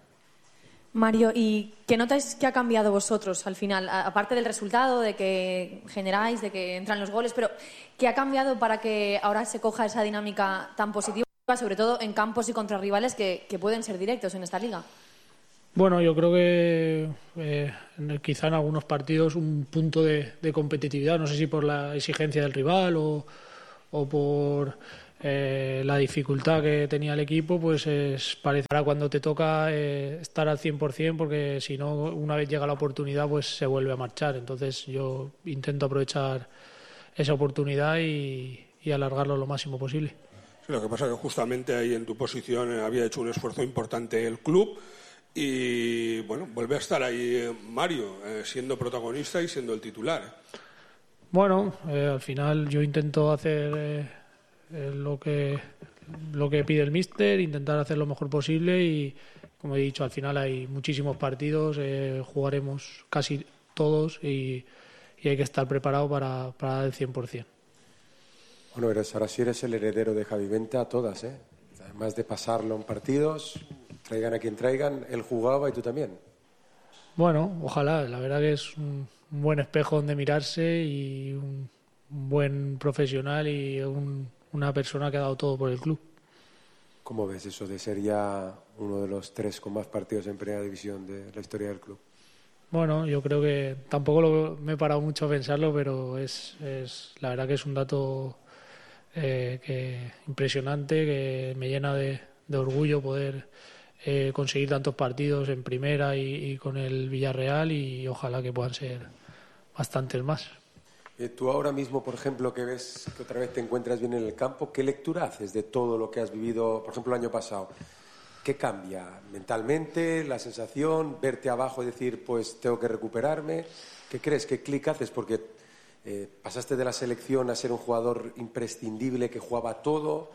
Mario, ¿y qué notáis que ha cambiado vosotros al final? Aparte del resultado, de que generáis, de que entran los goles, pero ¿qué ha cambiado para que ahora se coja esa dinámica tan positiva, sobre todo en campos y contra rivales que, que pueden ser directos en esta liga? Bueno, yo creo que eh, quizá en algunos partidos un punto de, de competitividad, no sé si por la exigencia del rival o, o por eh, la dificultad que tenía el equipo, pues es parecerá cuando te toca eh, estar al cien por ciento, porque si no, una vez llega la oportunidad, pues se vuelve a marchar. Entonces yo intento aprovechar esa oportunidad y, y alargarlo lo máximo posible. Sí, lo que pasa es que justamente ahí en tu posición había hecho un esfuerzo importante el club y, bueno, vuelve a estar ahí Mario, eh, siendo protagonista y siendo el titular. ¿eh? Bueno, eh, al final yo intento hacer eh, eh, lo que lo que pide el míster, intentar hacer lo mejor posible y, como he dicho, al final hay muchísimos partidos, eh, jugaremos casi todos y, y hay que estar preparado para, para dar el cien por ciento. Bueno, eres, ahora sí eres el heredero de Javi Vente a todas, ¿eh? Además de pasarlo en partidos, traigan a quien traigan, él jugaba y tú también. Bueno, ojalá, la verdad que es un, un buen espejo donde mirarse y un, un buen profesional y un, una persona que ha dado todo por el club. ¿Cómo ves eso de ser ya uno de los tres con más partidos en primera división de la historia del club? Bueno, yo creo que tampoco lo, me he parado mucho a pensarlo, pero es, es la verdad que es un dato Eh, que impresionante, que me llena de, de orgullo poder eh, conseguir tantos partidos en primera y, y con el Villarreal y ojalá que puedan ser bastantes más. Eh, tú ahora mismo, por ejemplo, que ves que otra vez te encuentras bien en el campo, ¿qué lectura haces de todo lo que has vivido, por ejemplo, el año pasado? ¿Qué cambia mentalmente, la sensación, verte abajo y decir, pues tengo que recuperarme? ¿Qué crees? ¿Qué clic haces? Porque Eh, pasaste de la selección a ser un jugador imprescindible que jugaba todo,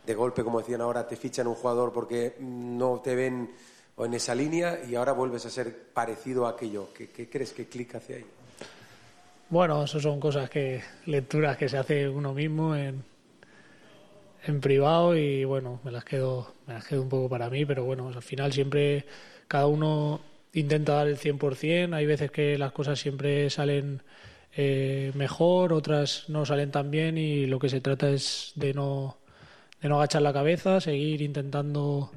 de golpe, como decían ahora, te fichan un jugador porque no te ven en esa línea y ahora vuelves a ser parecido a aquello. ¿Qué, qué crees que clic hace ahí? Bueno, eso son cosas que, lecturas que se hace uno mismo en, en privado y bueno, me las quedo, me las quedo un poco para mí, pero bueno, al final siempre cada uno intenta dar el cien por ciento, hay veces que las cosas siempre salen Eh, mejor, otras no salen tan bien y lo que se trata es de no, de no agachar la cabeza, seguir intentando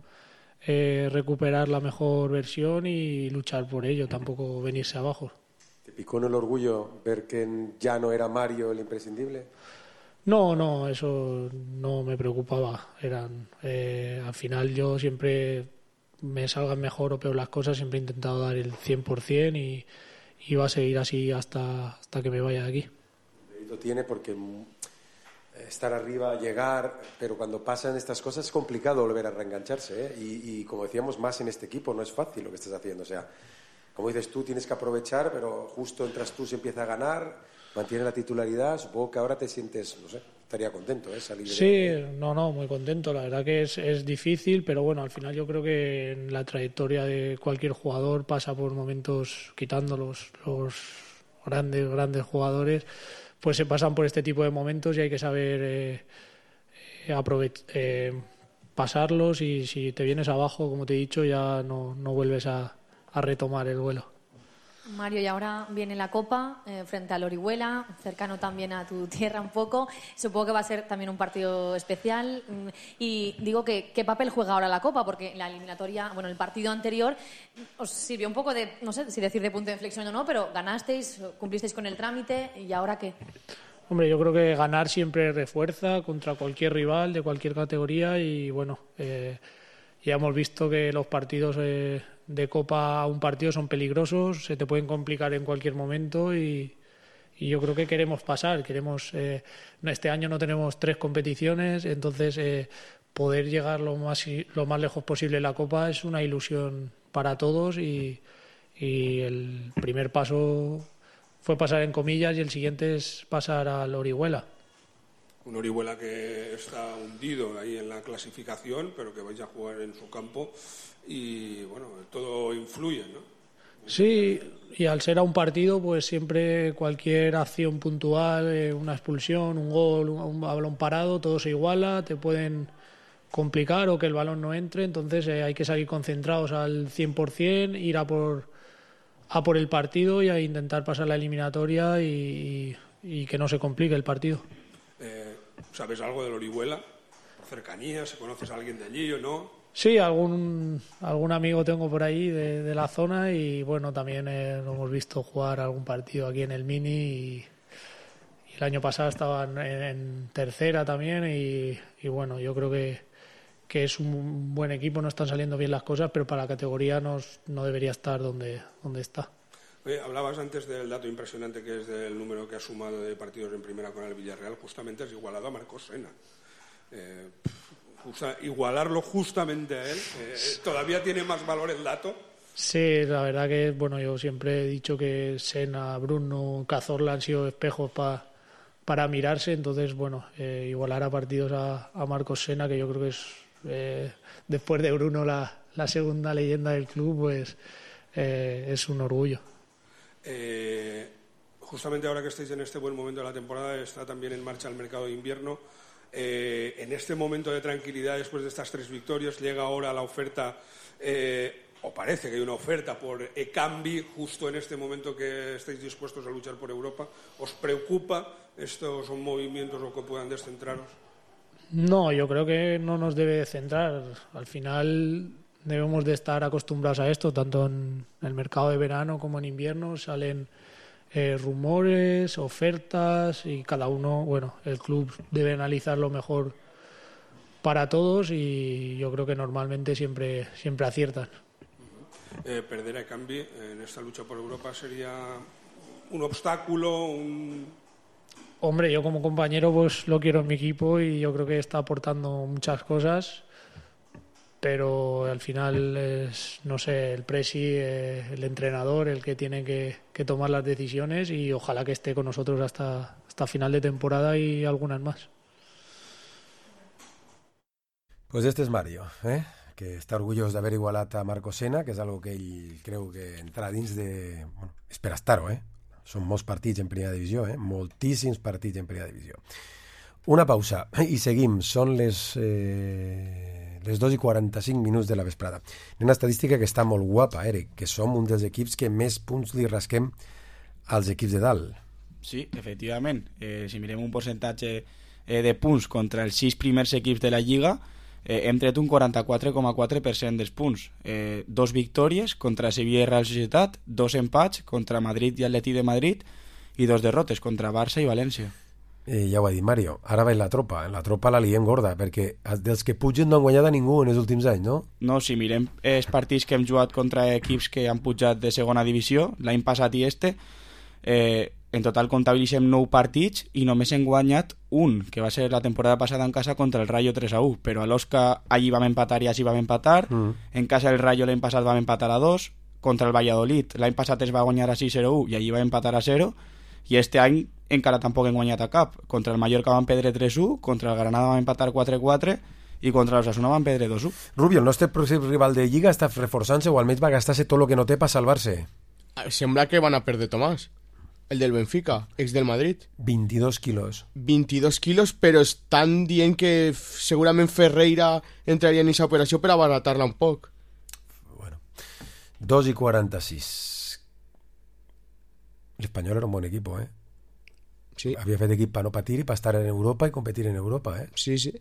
eh, recuperar la mejor versión y luchar por ello, tampoco venirse abajo. ¿Te picó en el orgullo ver que ya no era Mario el imprescindible? No, no, eso no me preocupaba. Eran, eh, al final yo siempre, me salgan mejor o peor las cosas, siempre he intentado dar el cien por ciento y y va a seguir así hasta, hasta que me vaya de aquí. Lo tiene porque estar arriba, llegar, pero cuando pasan estas cosas es complicado volver a reengancharse, ¿eh? y, y como decíamos, más en este equipo, no es fácil lo que estás haciendo. O sea, como dices tú, tienes que aprovechar, pero justo entras tú, se empieza a ganar, mantiene la titularidad, supongo que ahora te sientes, no sé, estaría contento, ¿eh? Salir de... Sí, no, no, muy contento. La verdad que es, es difícil, pero bueno, al final yo creo que en la trayectoria de cualquier jugador pasa por momentos, quitando los, los grandes, grandes jugadores, pues se pasan por este tipo de momentos y hay que saber eh, eh, aprovech- eh, pasarlos, y si te vienes abajo, como te he dicho, ya no, no vuelves a, a retomar el vuelo. Mario, y ahora viene la Copa eh, frente al Orihuela, cercano también a tu tierra un poco. Supongo que va a ser también un partido especial. Mm, Y digo que qué papel juega ahora la Copa, porque la eliminatoria, bueno, el partido anterior os sirvió un poco de, no sé si decir de punto de inflexión o no, pero ganasteis, cumplisteis con el trámite, ¿y ahora qué? Hombre, yo creo que ganar siempre refuerza contra cualquier rival de cualquier categoría, y bueno, eh, ya hemos visto que los partidos eh, de Copa a un partido son peligrosos, se te pueden complicar en cualquier momento, y, y yo creo que queremos pasar, queremos eh, este año no tenemos tres competiciones, entonces eh, poder llegar lo más lo más lejos posible en la Copa es una ilusión para todos, y, y el primer paso fue pasar en comillas y el siguiente es pasar al Orihuela. Un Orihuela que está hundido ahí en la clasificación, pero que vais a jugar en su campo y, bueno, todo influye, ¿no? Sí, y al ser a un partido, pues siempre cualquier acción puntual, eh, una expulsión, un gol, un, un balón parado, todo se iguala, te pueden complicar o que el balón no entre, entonces eh, hay que salir concentrados al cien por ciento, ir a por, a por el partido y a intentar pasar la eliminatoria y, y, y que no se complique el partido. Eh, ¿Sabes algo del Orihuela? ¿Por cercanía? ¿Se conoces a alguien de allí o no? Sí, algún algún amigo tengo por ahí de, de la zona y bueno, también eh, lo hemos visto jugar algún partido aquí en el Mini y, y el año pasado estaban en, en tercera también y, y bueno, yo creo que, que es un buen equipo, no están saliendo bien las cosas, pero para la categoría no, no debería estar donde, donde está. Oye, hablabas antes del dato impresionante que es del número que ha sumado de partidos en primera con el Villarreal, justamente es igualado a Marcos Sena. Eh, justa, igualarlo justamente a él, eh, ¿todavía tiene más valor el dato? Sí, la verdad que bueno, yo siempre he dicho que Sena, Bruno, Cazorla han sido espejos pa, para mirarse, entonces bueno, eh, igualar a partidos a, a Marcos Sena, que yo creo que es eh, después de Bruno la, la segunda leyenda del club, pues eh, es un orgullo. Eh, justamente ahora que estáis en este buen momento de la temporada, está también en marcha el mercado de invierno. Eh, en este momento de tranquilidad, después de estas tres victorias, llega ahora la oferta, eh, o parece que hay una oferta por Ekambi, justo en este momento que estáis dispuestos a luchar por Europa. ¿Os preocupa estos movimientos o que puedan descentraros? No, yo creo que no nos debe centrar. Al final debemos de estar acostumbrados a esto, tanto en el mercado de verano como en invierno. Salen eh, rumores, ofertas y cada uno, bueno, el club debe analizar lo mejor para todos y yo creo que normalmente siempre, siempre aciertan. Eh, perder a Ekambi en esta lucha por Europa sería un obstáculo, un... Hombre, yo como compañero pues lo quiero en mi equipo y yo creo que está aportando muchas cosas, pero al final es, no sé, el presi, eh, el entrenador, el que tiene que, que tomar las decisiones y ojalá que esté con nosotros hasta, hasta final de temporada y algunas más. Pues este és Mario, eh? que està orgullós d'haver igualat a Marcos Sena, que és algo que ell creu que entrarà dins de... Bueno, és per estar-ho, eh? Són molts partits en primera divisió, eh? moltíssims partits en primera divisió. Una pausa i seguim. Són les... Eh... les dos i quaranta-cinc minuts de la vesprada. Una estadística que està molt guapa, Eric, que som un dels equips que més punts li rasquem als equips de dalt. Sí, efectivament. Eh, si mirem un percentatge eh, de punts contra els sis primers equips de la Lliga, eh, hem tret un quaranta-quatre coma quatre per cent dels punts. Eh, dos victòries contra Sevilla i Real Societat, dos empats contra Madrid i Atleti de Madrid i dos derrotes contra Barça i València. Eh, ja ho ha dit Mario, ara va en la tropa, en la tropa la liem gorda, perquè dels que pugen no han guanyat a ningú en els últims anys, no? No, si mirem els partits que hem jugat contra equips que han pujat de segona divisió, l'any passat i este, eh, en total comptabilitzem nou partits i només hem guanyat un, que va ser la temporada passada en casa contra el Rayo tres a u, però a l'Osca allí vam empatar i així vam empatar, mm. en casa del Rayo l'any passat vam empatar a dos, contra el Valladolid l'any passat es va guanyar a sis a zero i allí va empatar a zero, i este any encara tampoc hem guanyat a cap. Contra el Mallorca van perdre tres a u, contra el Granada van empatar quatre a quatre i contra l'Osasuna van perdre dos a u. Rubio, el nostre pròxim rival de Lliga està reforçant-se o almenys va gastar-se tot el que no té per salvar-se. Sembla que van a perdre Tomàs. El del Benfica, ex del Madrid. veintidós quilos. veintidós quilos, però estan dient que f- segurament Ferreira entraria en aquesta operació per abaratar-la un poc. dos y cuarenta y seis. El Español era un buen equipo, ¿eh? Sí. Havia fet equip per no patir i per estar en Europa i competir en Europa, eh? Sí, sí.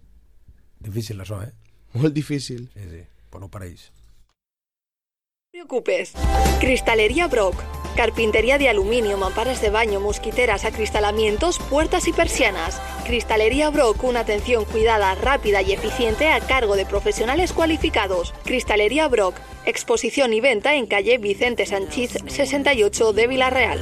Difícil això, eh? Molt difícil. Sí, sí. Pues no pareix. No te preocupes. Cristalería Brock. Carpintería de aluminio, mamparas de baño, mosquiteras, acristalamientos, puertas y persianas. Cristalería Brock, una atención cuidada, rápida y eficiente a cargo de profesionales cualificados. Cristalería Brock, exposición y venta en calle Vicente Sanchís sesenta y ocho de Vila-real.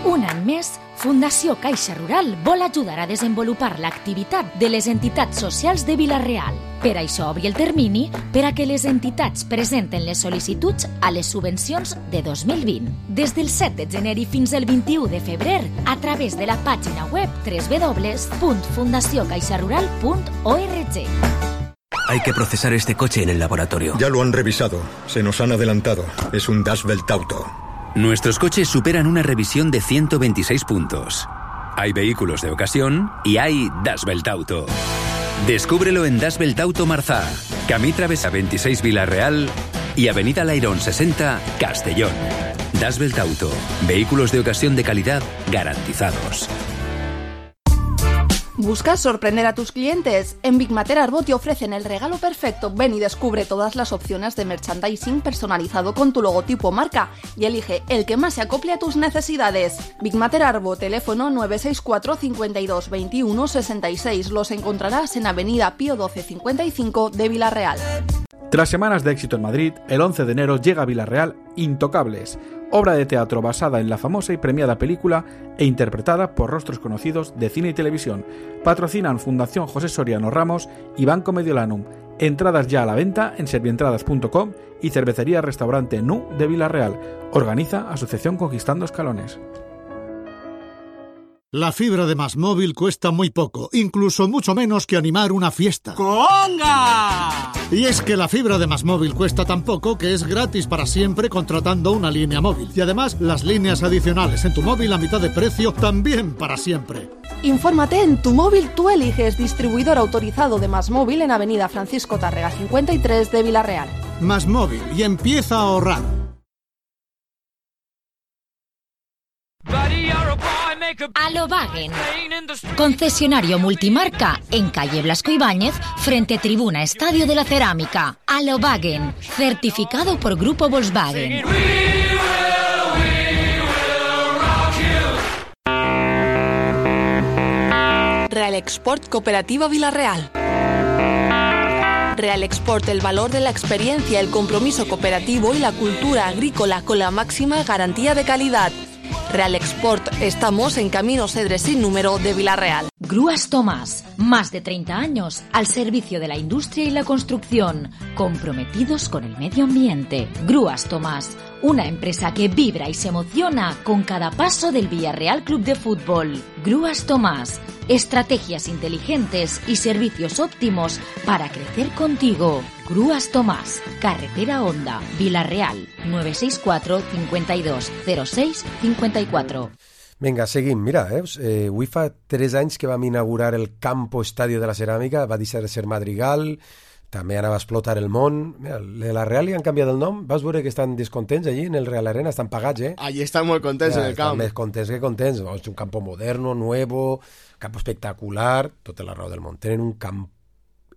Un any més, Fundació Caixa Rural vol ajudar a desenvolupar l'activitat de les entitats socials de Vila-real. Per això obri el termini per a que les entitats presenten les sol·licituds a les subvencions de dos mil vint. Des del set de gener i fins al vint-i-u de febrer, a través de la pàgina web doble u doble u doble u punt fundació caixa rural punt org. Hay que procesar este coche en el laboratorio. Ya lo han revisado. Se nos han adelantado. Es un Dashbelt Auto. Nuestros coches superan una revisión de ciento veintiséis puntos. Hay vehículos de ocasión y hay Dashbelt Auto. Descúbrelo en Dashbelt Auto Marzá, Camí Travesa veintiséis Vila-real y Avenida Lairón sesenta, Castellón. Dashbelt Auto. Vehículos de ocasión de calidad garantizados. ¿Buscas sorprender a tus clientes? En Big Mater Arbo te ofrecen el regalo perfecto. Ven y descubre todas las opciones de merchandising personalizado con tu logotipo o marca y elige el que más se acople a tus necesidades. Big Mater Arbo, teléfono nueve seis cuatro, cincuenta y dos, veintiuno, sesenta y seis. Los encontrarás en Avenida Pío doce cincuenta y cinco de Vila-real. Tras semanas de éxito en Madrid, el once de enero llega a Vila-real Intocables, obra de teatro basada en la famosa y premiada película e interpretada por rostros conocidos de cine y televisión. Patrocinan Fundación José Soriano Ramos y Banco Mediolanum. Entradas ya a la venta en servientradas punto com y Cervecería Restaurante Nu de Vila-real. Organiza Asociación Conquistando Escalones. La fibra de Más Móvil cuesta muy poco, incluso mucho menos que animar una fiesta. ¡Conga! Y es que la fibra de Más Móvil cuesta tan poco que es gratis para siempre contratando una línea móvil. Y además, las líneas adicionales en tu móvil a mitad de precio también para siempre. Infórmate en Tu Móvil Tú Eliges, distribuidor autorizado de Más Móvil en Avenida Francisco Tárrega cincuenta y tres de Vila-real. Más Móvil, y empieza a ahorrar. Alobagen, concesionario multimarca en calle Blasco Ibáñez, frente Tribuna Estadio de la Cerámica. Alobagen, certificado por Grupo Volkswagen. Real Export Cooperativa Vila-real. Real Export, el valor de la experiencia, el compromiso cooperativo y la cultura agrícola con la máxima garantía de calidad. Real Export, estamos en Camino Cedres sin número de Vila-real. Grúas Tomás, más de treinta años al servicio de la industria y la construcción, comprometidos con el medio ambiente. Grúas Tomás, una empresa que vibra y se emociona con cada paso del Villarreal Club de Fútbol. Grúas Tomás, estrategias inteligentes y servicios óptimos para crecer contigo. Grúas Tomás, Carretera Honda, Vila-real, nueve seis cuatro, cincuenta y dos, cero seis, cincuenta y cuatro. Vinga, seguim. Mira, eh, eh, avui fa tres anys que vam inaugurar el Campo Estadio de la Ceràmica, va deixar de ser Madrigal, també anava a explotar el món. Mira, la Real li han canviat el nom, vas veure que estan descontents allí en el Real Arena, estan pagats, eh? Allí estan molt contents ja, en el camp. Estan més contents que contents, no? És un campo moderno, nuevo, campo espectacular, tota la raó del món. Tenen un camp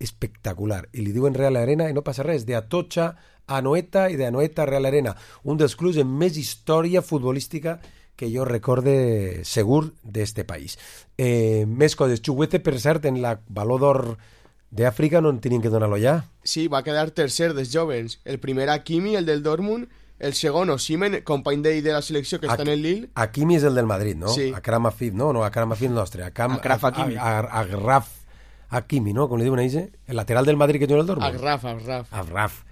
espectacular i li diuen Real Arena i no passa res, de Atocha a Anoeta i de Anoeta a Real Arena, un dels clubs amb més història futbolística que jo recorde segur d'este país. Eh, més coses. Chuguete, per cert, en la Baló d'Or d'Àfrica no en tenien que donar-lo ja. Sí, va quedar tercer dels jovens. El primer Hakimi, el del Dortmund, el segon Osimhen, company d'ell de la selecció que està en el Lille. Hakimi és el del Madrid, no? Sí. Akram Afif, no? No, Akram Afif nostre. Akram, Akraf Hakimi. Agraf Hakimi, no? Com li diuen a ell? El lateral del Madrid que té el Dortmund. Agraf, Agraf. Agraf.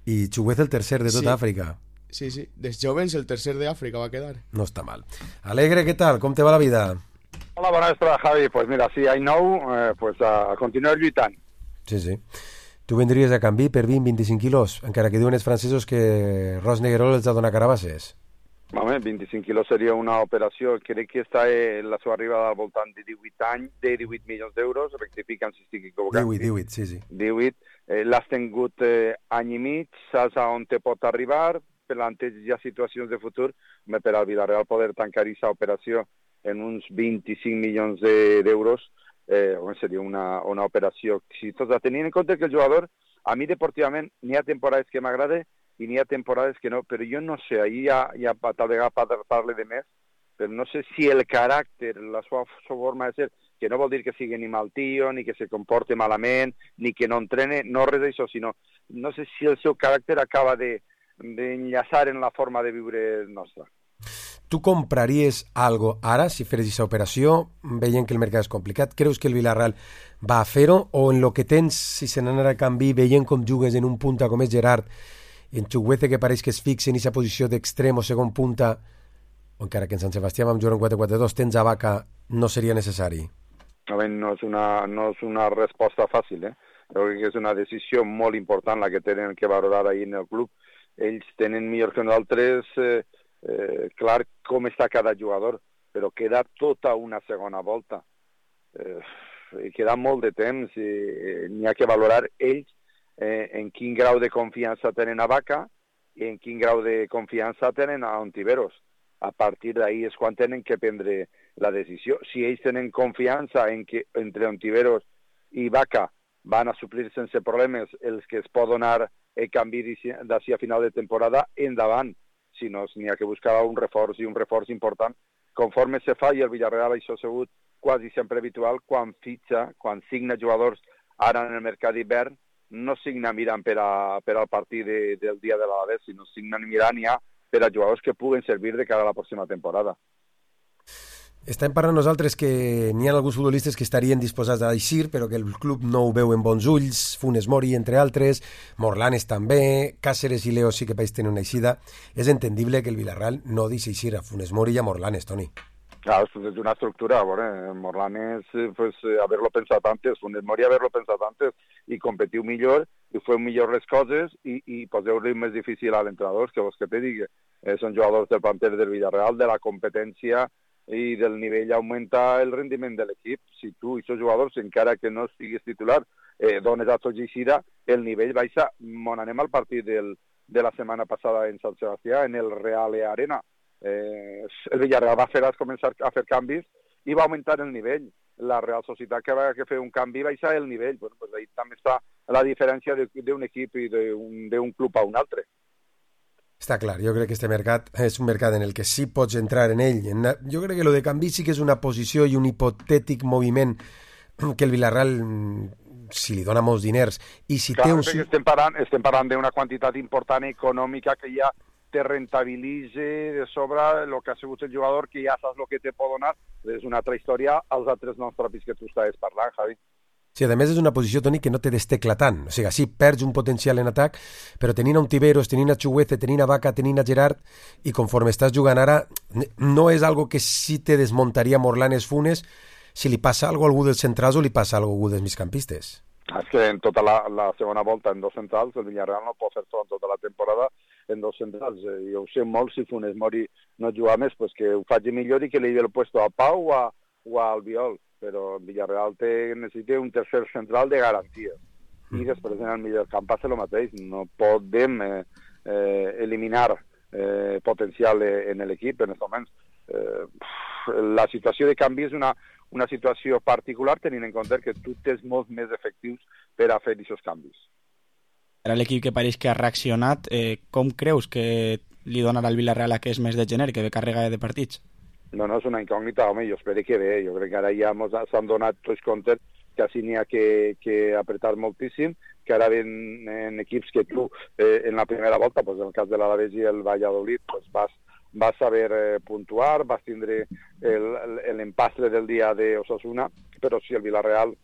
I Chuguete el tercer de tota Sí. Àfrica. Sí, sí. Dels jovens el tercer de África va a quedar. No está mal. Alegre, ¿qué tal? ¿Cómo te va la vida? Hola, bona vesprada, Javi. Pues mira, sí, I know, eh, pues a, a continuar lluitant. Sí, sí. Tu vendries a canvi per vint a vint-i-cinc quilos, encara que diuen els francesos que Ros Negrol els ha donat carabasses. Home, vint-i-cinc quilos seria una operació, crec que està eh, la seva arribada al voltant de divuit anys, de divuit milions d'euros, rectificant si estic equivocat. divuit, divuit, sí, sí. divuit, eh, l'has tingut eh, any i mig, saps a on te pot arribar, planteges ja situacions de futur, home, per al Villarreal poder tancar aquesta operació en uns vint-i-cinc milions d'euros, eh, home, seria una, una operació exitosa, tenint en compte que el jugador, a mi deportivament, n'hi ha temporades que m'agrada, i n'hi ha temporades que no, però jo no sé, ahir ja, ja tal vegada parle de més, però no sé si el caràcter, la seva forma de ser, que no vol dir que sigui ni mal tio, ni que se comporte malament, ni que no entrene, no res d'això, sinó no sé si el seu caràcter acaba de d'enllaçar en la forma de viure nostra. Tu compraries algo ara, si feres aquesta operació, veient que el mercat és complicat? Creus que el Villarreal va a fer-ho? O en lo que tens, si se n'anarà a canvi, veient com jugues en un punta com és Gerard, i en Chukwueze que pareix que es fixa en aquesta posició d'extrem o segon punta, o encara que en Sant Sebastià vam jugar un quatre quatre dos, tens a Vaca, no seria necessari? A veure, no és una, no és una resposta fàcil, eh? Jo crec que és una decisió molt important la que tenen que valorar ahir en el club. Ells tenen millor que nosaltres eh, eh, clar com està cada jugador, però queda tota una segona volta. Eh, queda molt de temps i eh, n'hi ha que valorar ells Eh, en quin grau de confiança tenen a Vaca i en quin grau de confiança tenen a Ontiveros. A partir d'ahir és quan tenen que prendre la decisió. Si ells tenen confiança en que entre Ontiveros i Vaca van a suplir sense problemes els que es poden donar el canvi d'ací a final de temporada, endavant. Si no, n'hi ha que buscar un reforç i un reforç important. Conforme se fa, i el Villarreal això ha sigut quasi sempre habitual, quan fitxa, quan signa jugadors ara en el mercat d'hivern, no signa mirant per, a, per al partit de, del dia de l'Alavés, sinó signa mirant ja per a jugadors que puguen servir de cara a la pròxima temporada. Estem parlant nosaltres que n'hi ha alguns futbolistes que estarien disposats a eixir, però que el club no ho veu en bons ulls, Funes Mori, entre altres, Morlanes també, Cáceres i Leo sí que país tenen una eixida. És entendible que el Villarreal no deixi eixir a Funes Mori i a Morlanes, Toni. Claro, esto es una estructura, bueno, Morlanes, pues haberlo pensado antes, Funes Mori haberlo pensado antes i competiu millor i fue millor les coses i, i poseu-li més difícil a l'entrenador, que vos que te digui, eh, són jugadors del planter del Villarreal, de la competència i del nivell augmenta el rendiment de l'equip. Si tu i aquests jugadors, encara que no estiguis titular, eh, dones a tots eixida, el nivell baixa. Mon anem al partit del, de la setmana passada en Sant Sebastià, en el Real Arena. Eh, el Villarreal va fer començar a fer canvis i va augmentar el nivell. La Real Societat que va que fer un canvi va baixar el nivell. Bueno, pues ahí també està la diferència d'un equip i d'un club a un altre. Està clar, jo crec que este mercat és un mercat en el que sí pots entrar en ell. Jo crec que lo de canvi sí que és una posició i un hipotètic moviment que el Villarreal, si li dona molts diners i si clar, té un... estem parlant, estem parlant d'una quantitat important econòmica que ja te rentabilitze de sobre el que ha sigut el jugador, que ja saps el que te pot donar. És una altra història als altres noms propis que tu estaves parlant, Javi. Sí, a més és una posició, Toni, que no te destecla tant. O sigui, sí, perds un potencial en atac, però tenint a Ontiveros, tenint a Chukwueze, tenint a Vaca, tenint a Gerard, i conforme estàs jugant ara, no és algo que sí te desmuntaria Morlanes, Funes, si li passa alguna cosa a algú dels centrals o li passa alguna cosa a algú dels migcampistes. És que en tota la, la segona volta en dos centrals, el Villarreal no pot fer tot en tota la temporada en dos centrals. Eh, jo ho sé molt, si Funes Mori no juga més, pues que ho faci millor i que li dé el puesto a Pau o a, o a Albiol. Però Villarreal té, necessita un tercer central de garantia. I després en el millor camp passa el mateix. No podem eh, eh, eliminar eh, potencial en l'equip en aquests moments. Eh, la situació de canvi és una, una situació particular tenint en compte que tu tens molts més efectius per a fer aquests canvis. Era l'equip que pareix que ha reaccionat. Eh, com creus que li donarà al Villarreal aquest mes de gener, que ve càrrega de partits? No, no, és una incògnita, home, jo espero que bé. Jo crec que ara ja s'han donat tots comptes que així n'hi ha que, que apretar moltíssim, que ara ven en equips que tu, eh, en la primera volta, pues, en el cas de l'Alavés i el Valladolid, pues, vas, vas saber eh, puntuar, vas tindre l'empastre del dia de Osasuna, però si el Villarreal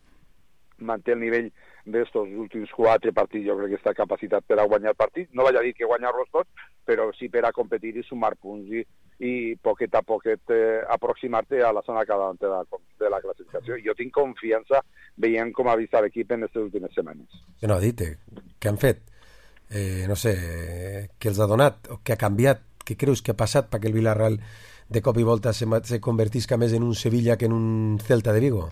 manté el nivell d'estos últims quatre partits, jo crec que està capacitat per a guanyar partits. No vaig a dir que guanyar-los tots, però sí per a competir i sumar punts i, i poquet a poquet eh, aproximar-te a la zona cadent de la, de la classificació. Jo tinc confiança veient com ha vist l'equip en aquestes últimes setmanes. Que no, dite, què han fet? Eh, no sé, què els ha donat o què ha canviat què creus que ha passat perquè el Villarreal de cop i volta se, se convertisca més en un Sevilla que en un Celta de Vigo?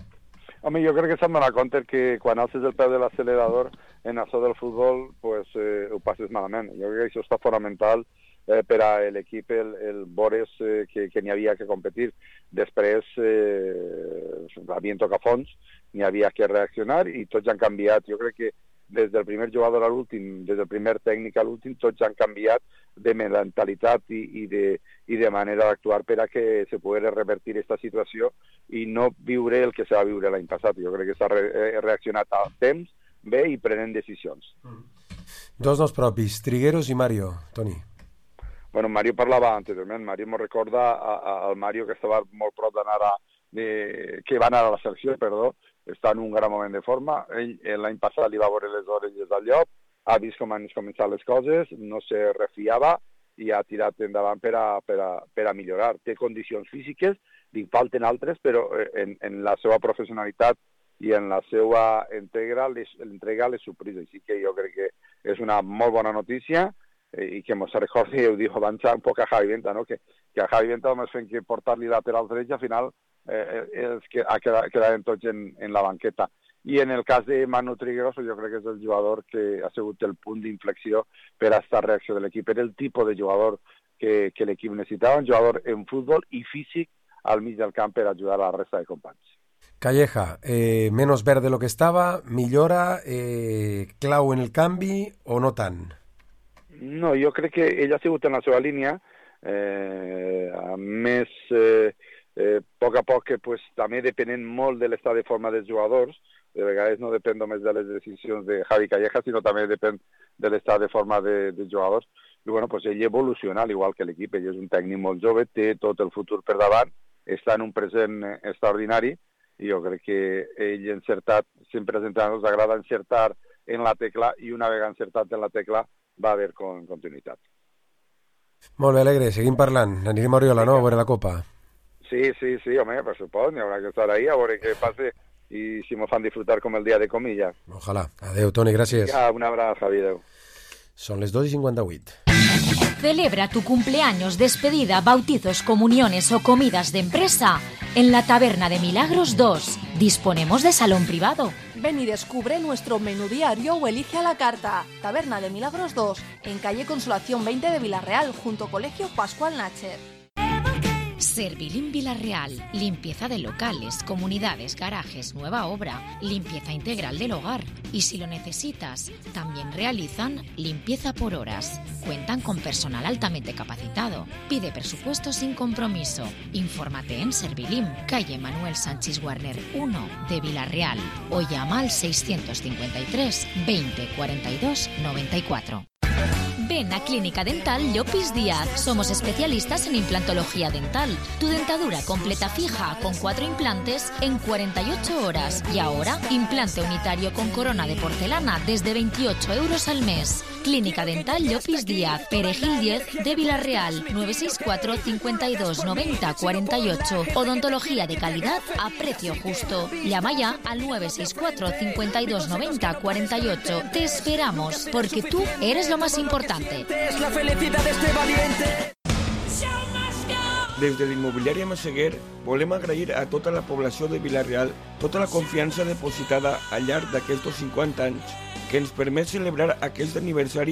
Home, jo crec que s'han donat compte que quan alces el peu de l'accelerador en això del futbol, pues, eh, ho passes malament. Jo crec que això està fonamental eh, per a l'equip el, el veure eh, que, que n'hi havia que competir. Després eh, havien tocat fons, n'hi havia que reaccionar i tots han canviat. Jo crec que des del primer jugador a l'últim, des del primer tècnic a l'últim, tots han canviat de mentalitat i, i, de, i de manera d'actuar per a que se pugui revertir aquesta situació i no viure el que se va viure l'any passat. Jo crec que s'ha re, reaccionat a temps bé i prenent decisions. Mm. Dos noms propis, Trigueros i Mario, Toni. Bueno, Mario parlava anteriorment, Mario m'ho recorda al Mario que estava molt prop d'anar a, de, que va anar a la selecció, perdó, està en un gran moment de forma. Ell l'any passat li va veure les orelles al llop, ha vist com han començat les coses, no se refiava i ha tirat endavant per a, per a, per a millorar. Té condicions físiques, li falten altres, però en, en la seva professionalitat i en la seva entrega les, entrega les sorpreses. Així que jo crec que és una molt bona notícia eh, i que mos recordi, ho diu abans un poc a Javi Venta, no? que, que a Javi Venta només fent que portar-li lateral dret i al final eh, és que ha quedat, quedat tots en, en la banqueta. I en el cas de Manu Trigueros, jo crec que és el jugador que ha sigut el punt d'inflexió per a esta reacció de l'equip. Era el tipus de jugador que, que l'equip necessitava, un jugador en futbol i físic al mig del camp per ajudar a la resta de companys. Calleja, eh, menos verde de lo que estava, millora, eh, clau en el canvi o no tant? No, jo crec que ell ha sigut en la seva línia, eh, a més, eh, eh, a poc a poc, que, pues, també depenent molt de l'estat de forma dels jugadors. De vegades no depèn només de les decisions de Javi Calleja, sinó també depèn de l'estat de forma de, dels jugadors. I bueno, pues ell evoluciona, al igual que l'equip. Ell és un tècnic molt jove, té tot el futur per davant, està en un present extraordinari, i jo crec que ell encertat, sempre als entrenadors agrada encertar en la tecla, i una vegada encertat en la tecla va haver con continuïtat. Molt bé, Alegre, seguim parlant. Anirem a Oriola, no?, a veure la Copa. Sí, sí, sí, home, per supost, n'hi haurà que estar ahí a veure què passa i si m'ho fan disfrutar com el dia de comilla. Ojalà. Adeu, Toni, gràcies. Ja, un abraç, Javi, adeu. Són les dos i cinquanta-vuit. Celebra tu cumpleaños, despedida, bautizos, comuniones o comidas de empresa en la Taberna de Milagros dos. Disponemos de salón privado. Ven y descubre nuestro menú diario o elige a la carta. Taberna de Milagros dos, en calle Consolación veinte de Villarreal, junto Colegio Pascual Nacher. Servilín Villarreal, limpieza de locales, comunidades, garajes, nueva obra, limpieza integral del hogar. Y si lo necesitas, también realizan limpieza por horas. Cuentan con personal altamente capacitado. Pide presupuesto sin compromiso. Infórmate en Servilín, calle Manuel Sánchez Warner uno de Villarreal, o llama al seiscientos cincuenta y tres veinte cuarenta y dos noventa y cuatro. Ven a Clínica Dental Llopis Díaz. Somos especialistas en implantología dental. Tu dentadura completa fija con cuatro implantes en cuarenta y ocho horas. Y ahora, implante unitario con corona de porcelana desde veintiocho euros al mes. Clínica Dental Llopis Díaz, Perejil diez de Villarreal, nueve seis cuatro cincuenta y dos noventa cuarenta y ocho. Odontología de calidad a precio justo. Llama ya al nueve seis cuatro cincuenta y dos noventa cuarenta y ocho. Te esperamos, porque tú eres lo más importante. Es la felicidad de este valiente. Des de l'immobiliària Massaguer volem agrair a tota la població de Villarreal tota la confiança depositada al llarg d'aquests cinquanta anys que ens permet celebrar aquest aniversari